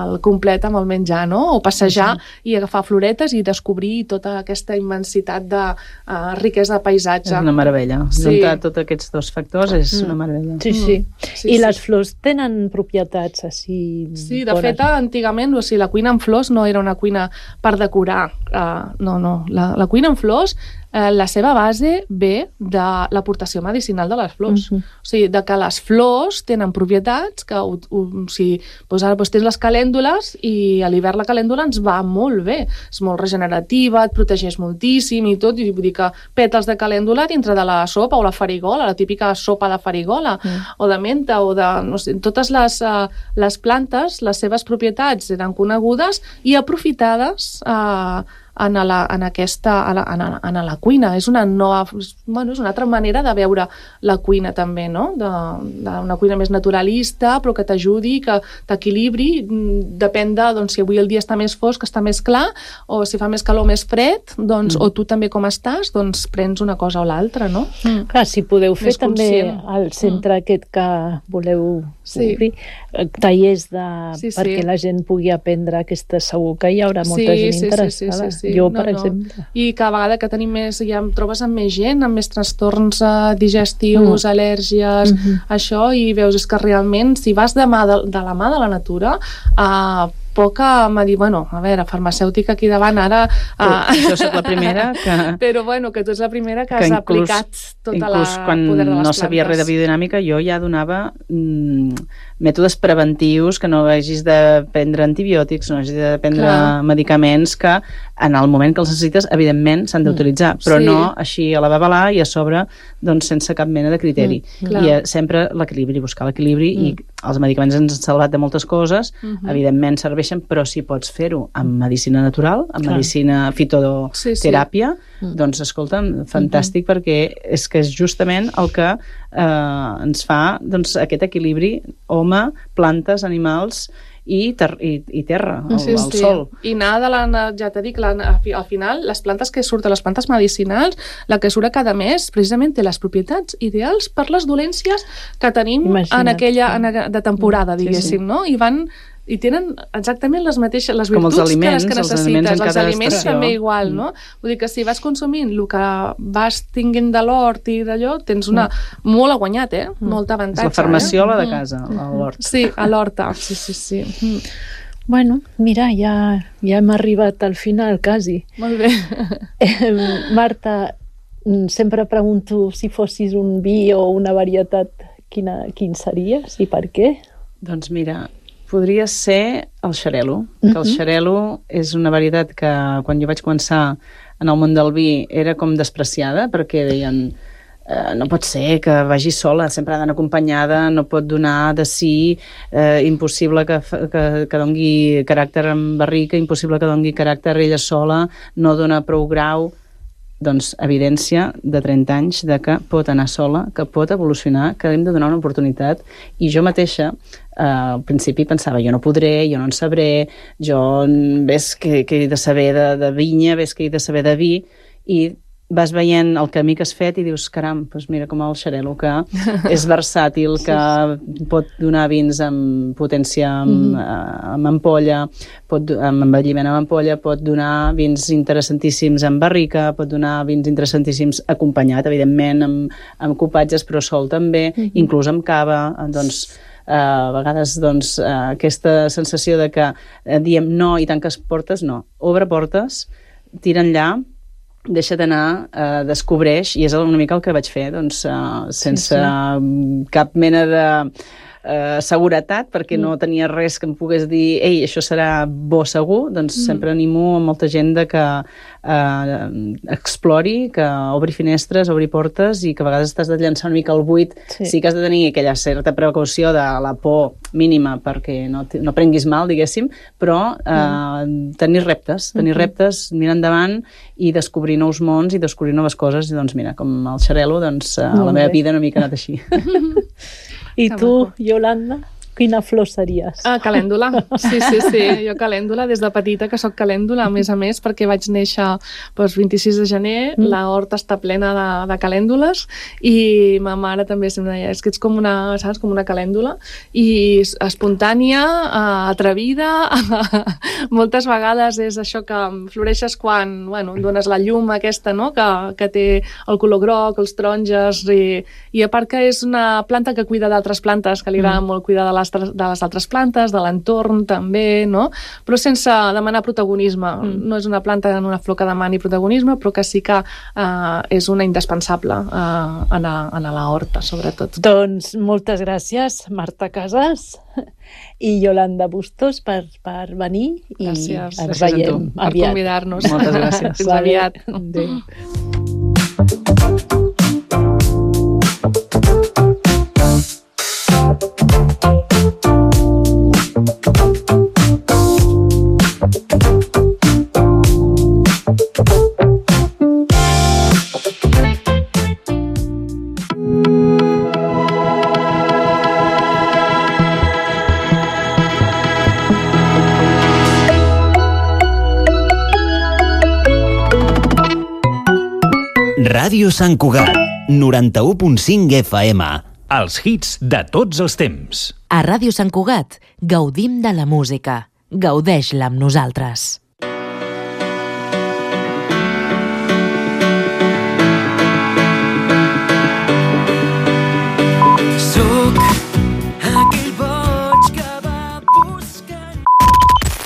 el complet amb el menjar, no? O passejar sí. i agafar floretes i descobrir tota aquesta immensitat de uh, riquesa de paisatge. És una meravella. Sí. Juntar tots aquests dos factors és mm. una meravella. Sí, sí. Mm. sí I sí. les flors tenen propietats així... Sí, de bones. Fet, antigament, o sigui, la cuina amb flors flors no era una cuina per decorar, uh, no, no, la, la cuina amb flors, eh, la seva base ve de l'aportació medicinal de les flors. Uh-huh. O sigui, de que les flors tenen propietats que, o, o, o sigui, doncs ara doncs tens les calèndules i a l'hivern la calèndula ens va molt bé, és molt regenerativa, et protegeix moltíssim i tot, i vull dir que pètals de calèndula dintre de la sopa o la farigola, la típica sopa de farigola, uh-huh. o de menta, o de, no sé, totes les, uh, les plantes, les seves propietats eren conegudes i aprofitades uh, en, la, en aquesta en, la, en la cuina. És una nova, bueno, és una altra manera de veure la cuina també, no? De, de una cuina més naturalista, però que t'ajudi, que t'equilibri, depèn de, doncs, si avui el dia està més fosc, està més clar, o si fa més calor, més fred, doncs, mm. o tu també com estàs, doncs prens una cosa o l'altra, no? Mm. Clar, si podeu fer més també conscient. Al centre mm. aquest que voleu sí. obrir, tallers de, sí, sí. perquè la gent pugui aprendre aquesta, segur que hi haurà molta sí, gent sí, interessada. Sí, sí, sí. Jo, per no, exemple. No. I cada vegada que tenim més, ja em trobes amb més gent, amb més trastorns uh, digestius, mm. al·lèrgies, mm-hmm. això, i veus, és que realment, si vas de, mà de, de la mà de la natura, uh, poca m'ha dit, bueno, a veure, farmacèutica aquí davant ara... Uh... Jo soc la primera que... Però bueno, que tu ets la primera que, que has inclús, aplicat tota la quan poder de les no plantes. Sabia res de biodinàmica, jo ja donava mm, mètodes preventius, que no hagis de prendre antibiòtics, no hagis de prendre Clar. medicaments que en el moment que els necessites, evidentment, s'han d'utilitzar, però sí. no així a la babalà i a sobre, doncs, sense cap mena de criteri. Mm, I eh, sempre l'equilibri, buscar l'equilibri, mm. i els medicaments ens han salvat de moltes coses, mm-hmm. evidentment serveixen, però si pots fer-ho amb medicina natural, amb Clar. medicina fitoteràpia, sí, sí. doncs, escolta'm, fantàstic, mm-hmm. perquè és que és justament el que eh, ens fa, doncs, aquest equilibri home, plantes, animals i, ter i, i terra, el, sí, el sí. sol. I nada, la, ja t'he dit, la, al final, les plantes que surten, les plantes medicinals, la que surt cada mes, precisament té les propietats ideals per les dolències que tenim Imagina't. en aquella en, de temporada, diguéssim, sí, sí. no? I van... i tenen exactament les mateixes les virtuts aliments, que les que necessites. Els aliments, els aliments també igual, no? Vull dir que si vas consumint el que vas tinguent de l'hort i d'allò, tens una... Mm. molt guanyat, eh? Mm. Molt avantatge. És la farmaciola eh? de casa, a l'hort. Sí, a l'horta. Sí, sí, sí. Mm. Bueno, mira, ja, ja hem arribat al final, quasi. Molt bé. Eh, Marta, sempre pregunto si fossis un vi o una varietat, quina, quin series i per què? Doncs mira... podria ser el xarel·lo, que el xarel·lo és una varietat que quan jo vaig començar en el món del vi era com despreciada, perquè deien eh, no pot ser que vagi sola, sempre ha d'anar acompanyada, no pot donar de si, eh, impossible que, que, que dongui caràcter en barrica, impossible que dongui caràcter ella sola, no dona prou grau. Doncs evidència de trenta anys de que pot anar sola, que pot evolucionar, que hem de donar una oportunitat. I jo mateixa, eh, al principi pensava, jo no podré, jo no en sabré, jo ves que, que he de saber de, de vinya, ves que he de saber de vi, i vas veient el camí que has fet i dius, caram, doncs mira com el xarel·lo, que és versàtil, que sí. pot donar vins amb potència amb, mm-hmm. amb ampolla, pot, amb envelliment amb ampolla, pot donar vins interessantíssims amb barrica, pot donar vins interessantíssims acompanyat, evidentment, amb, amb copatges, però sol també, mm-hmm. inclús amb cava, doncs... Uh, a vegades doncs, uh, aquesta sensació de que uh, diem no i tanques portes, no. Obre portes, tira enllà, deixa't anar, eh, descobreix, i és una mica el que vaig fer, doncs, eh, sense sí, sí. cap mena de eh, seguretat, perquè mm. no tenia res que em pogués dir, ei, això serà bo segur, doncs mm. sempre animo a molta gent de que eh, explori, que obri finestres, obri portes, i que a vegades t'has de llançar una mica al buit, sí. sí que has de tenir aquella certa precaució de la por mínima perquè no, no prenguis mal, diguéssim, però eh, mm. tenir reptes, tenir mm-hmm. reptes, mirar endavant i descobrir nous mons i descobrir noves coses, i doncs mira, com el xarel·lo, doncs eh, la meva vida una mica ha anat així. I tu, Yolanda, quina flor series? Ah, calèndula. Sí, sí, sí. Jo calèndula, des de petita que soc calèndula, a més a més, perquè vaig néixer doncs, vint-i-sis de gener, mm. la horta està plena de, de calèndules, i ma mare també sempre deia, és que ets com una, saps, com una calèndula, i espontània, atrevida, moltes vegades és això que floreixes quan, bueno, dones la llum aquesta, no?, que, que té el color groc, els taronges, i, i a part que és una planta que cuida d'altres plantes, que li agrada mm. molt cuidar de les les, de les altres plantes, de l'entorn també, no? Però sense demanar protagonisme. Mm. No és una planta en una flor que demani protagonisme, però que sí que eh, és una indispensable eh, en, a, en a la horta, sobretot. Doncs moltes gràcies, Marta Casas i Yolanda Bustos per, per venir i gràcies. ens Gràcies veiem per aviat. convidar-nos. Moltes gràcies. Fins aviat. Adéu. Ràdio Sant Cugat, noranta-u punt cinc F M. Els hits de tots els temps. A Ràdio Sant Cugat gaudim de la música. Gaudeix-la amb nosaltres.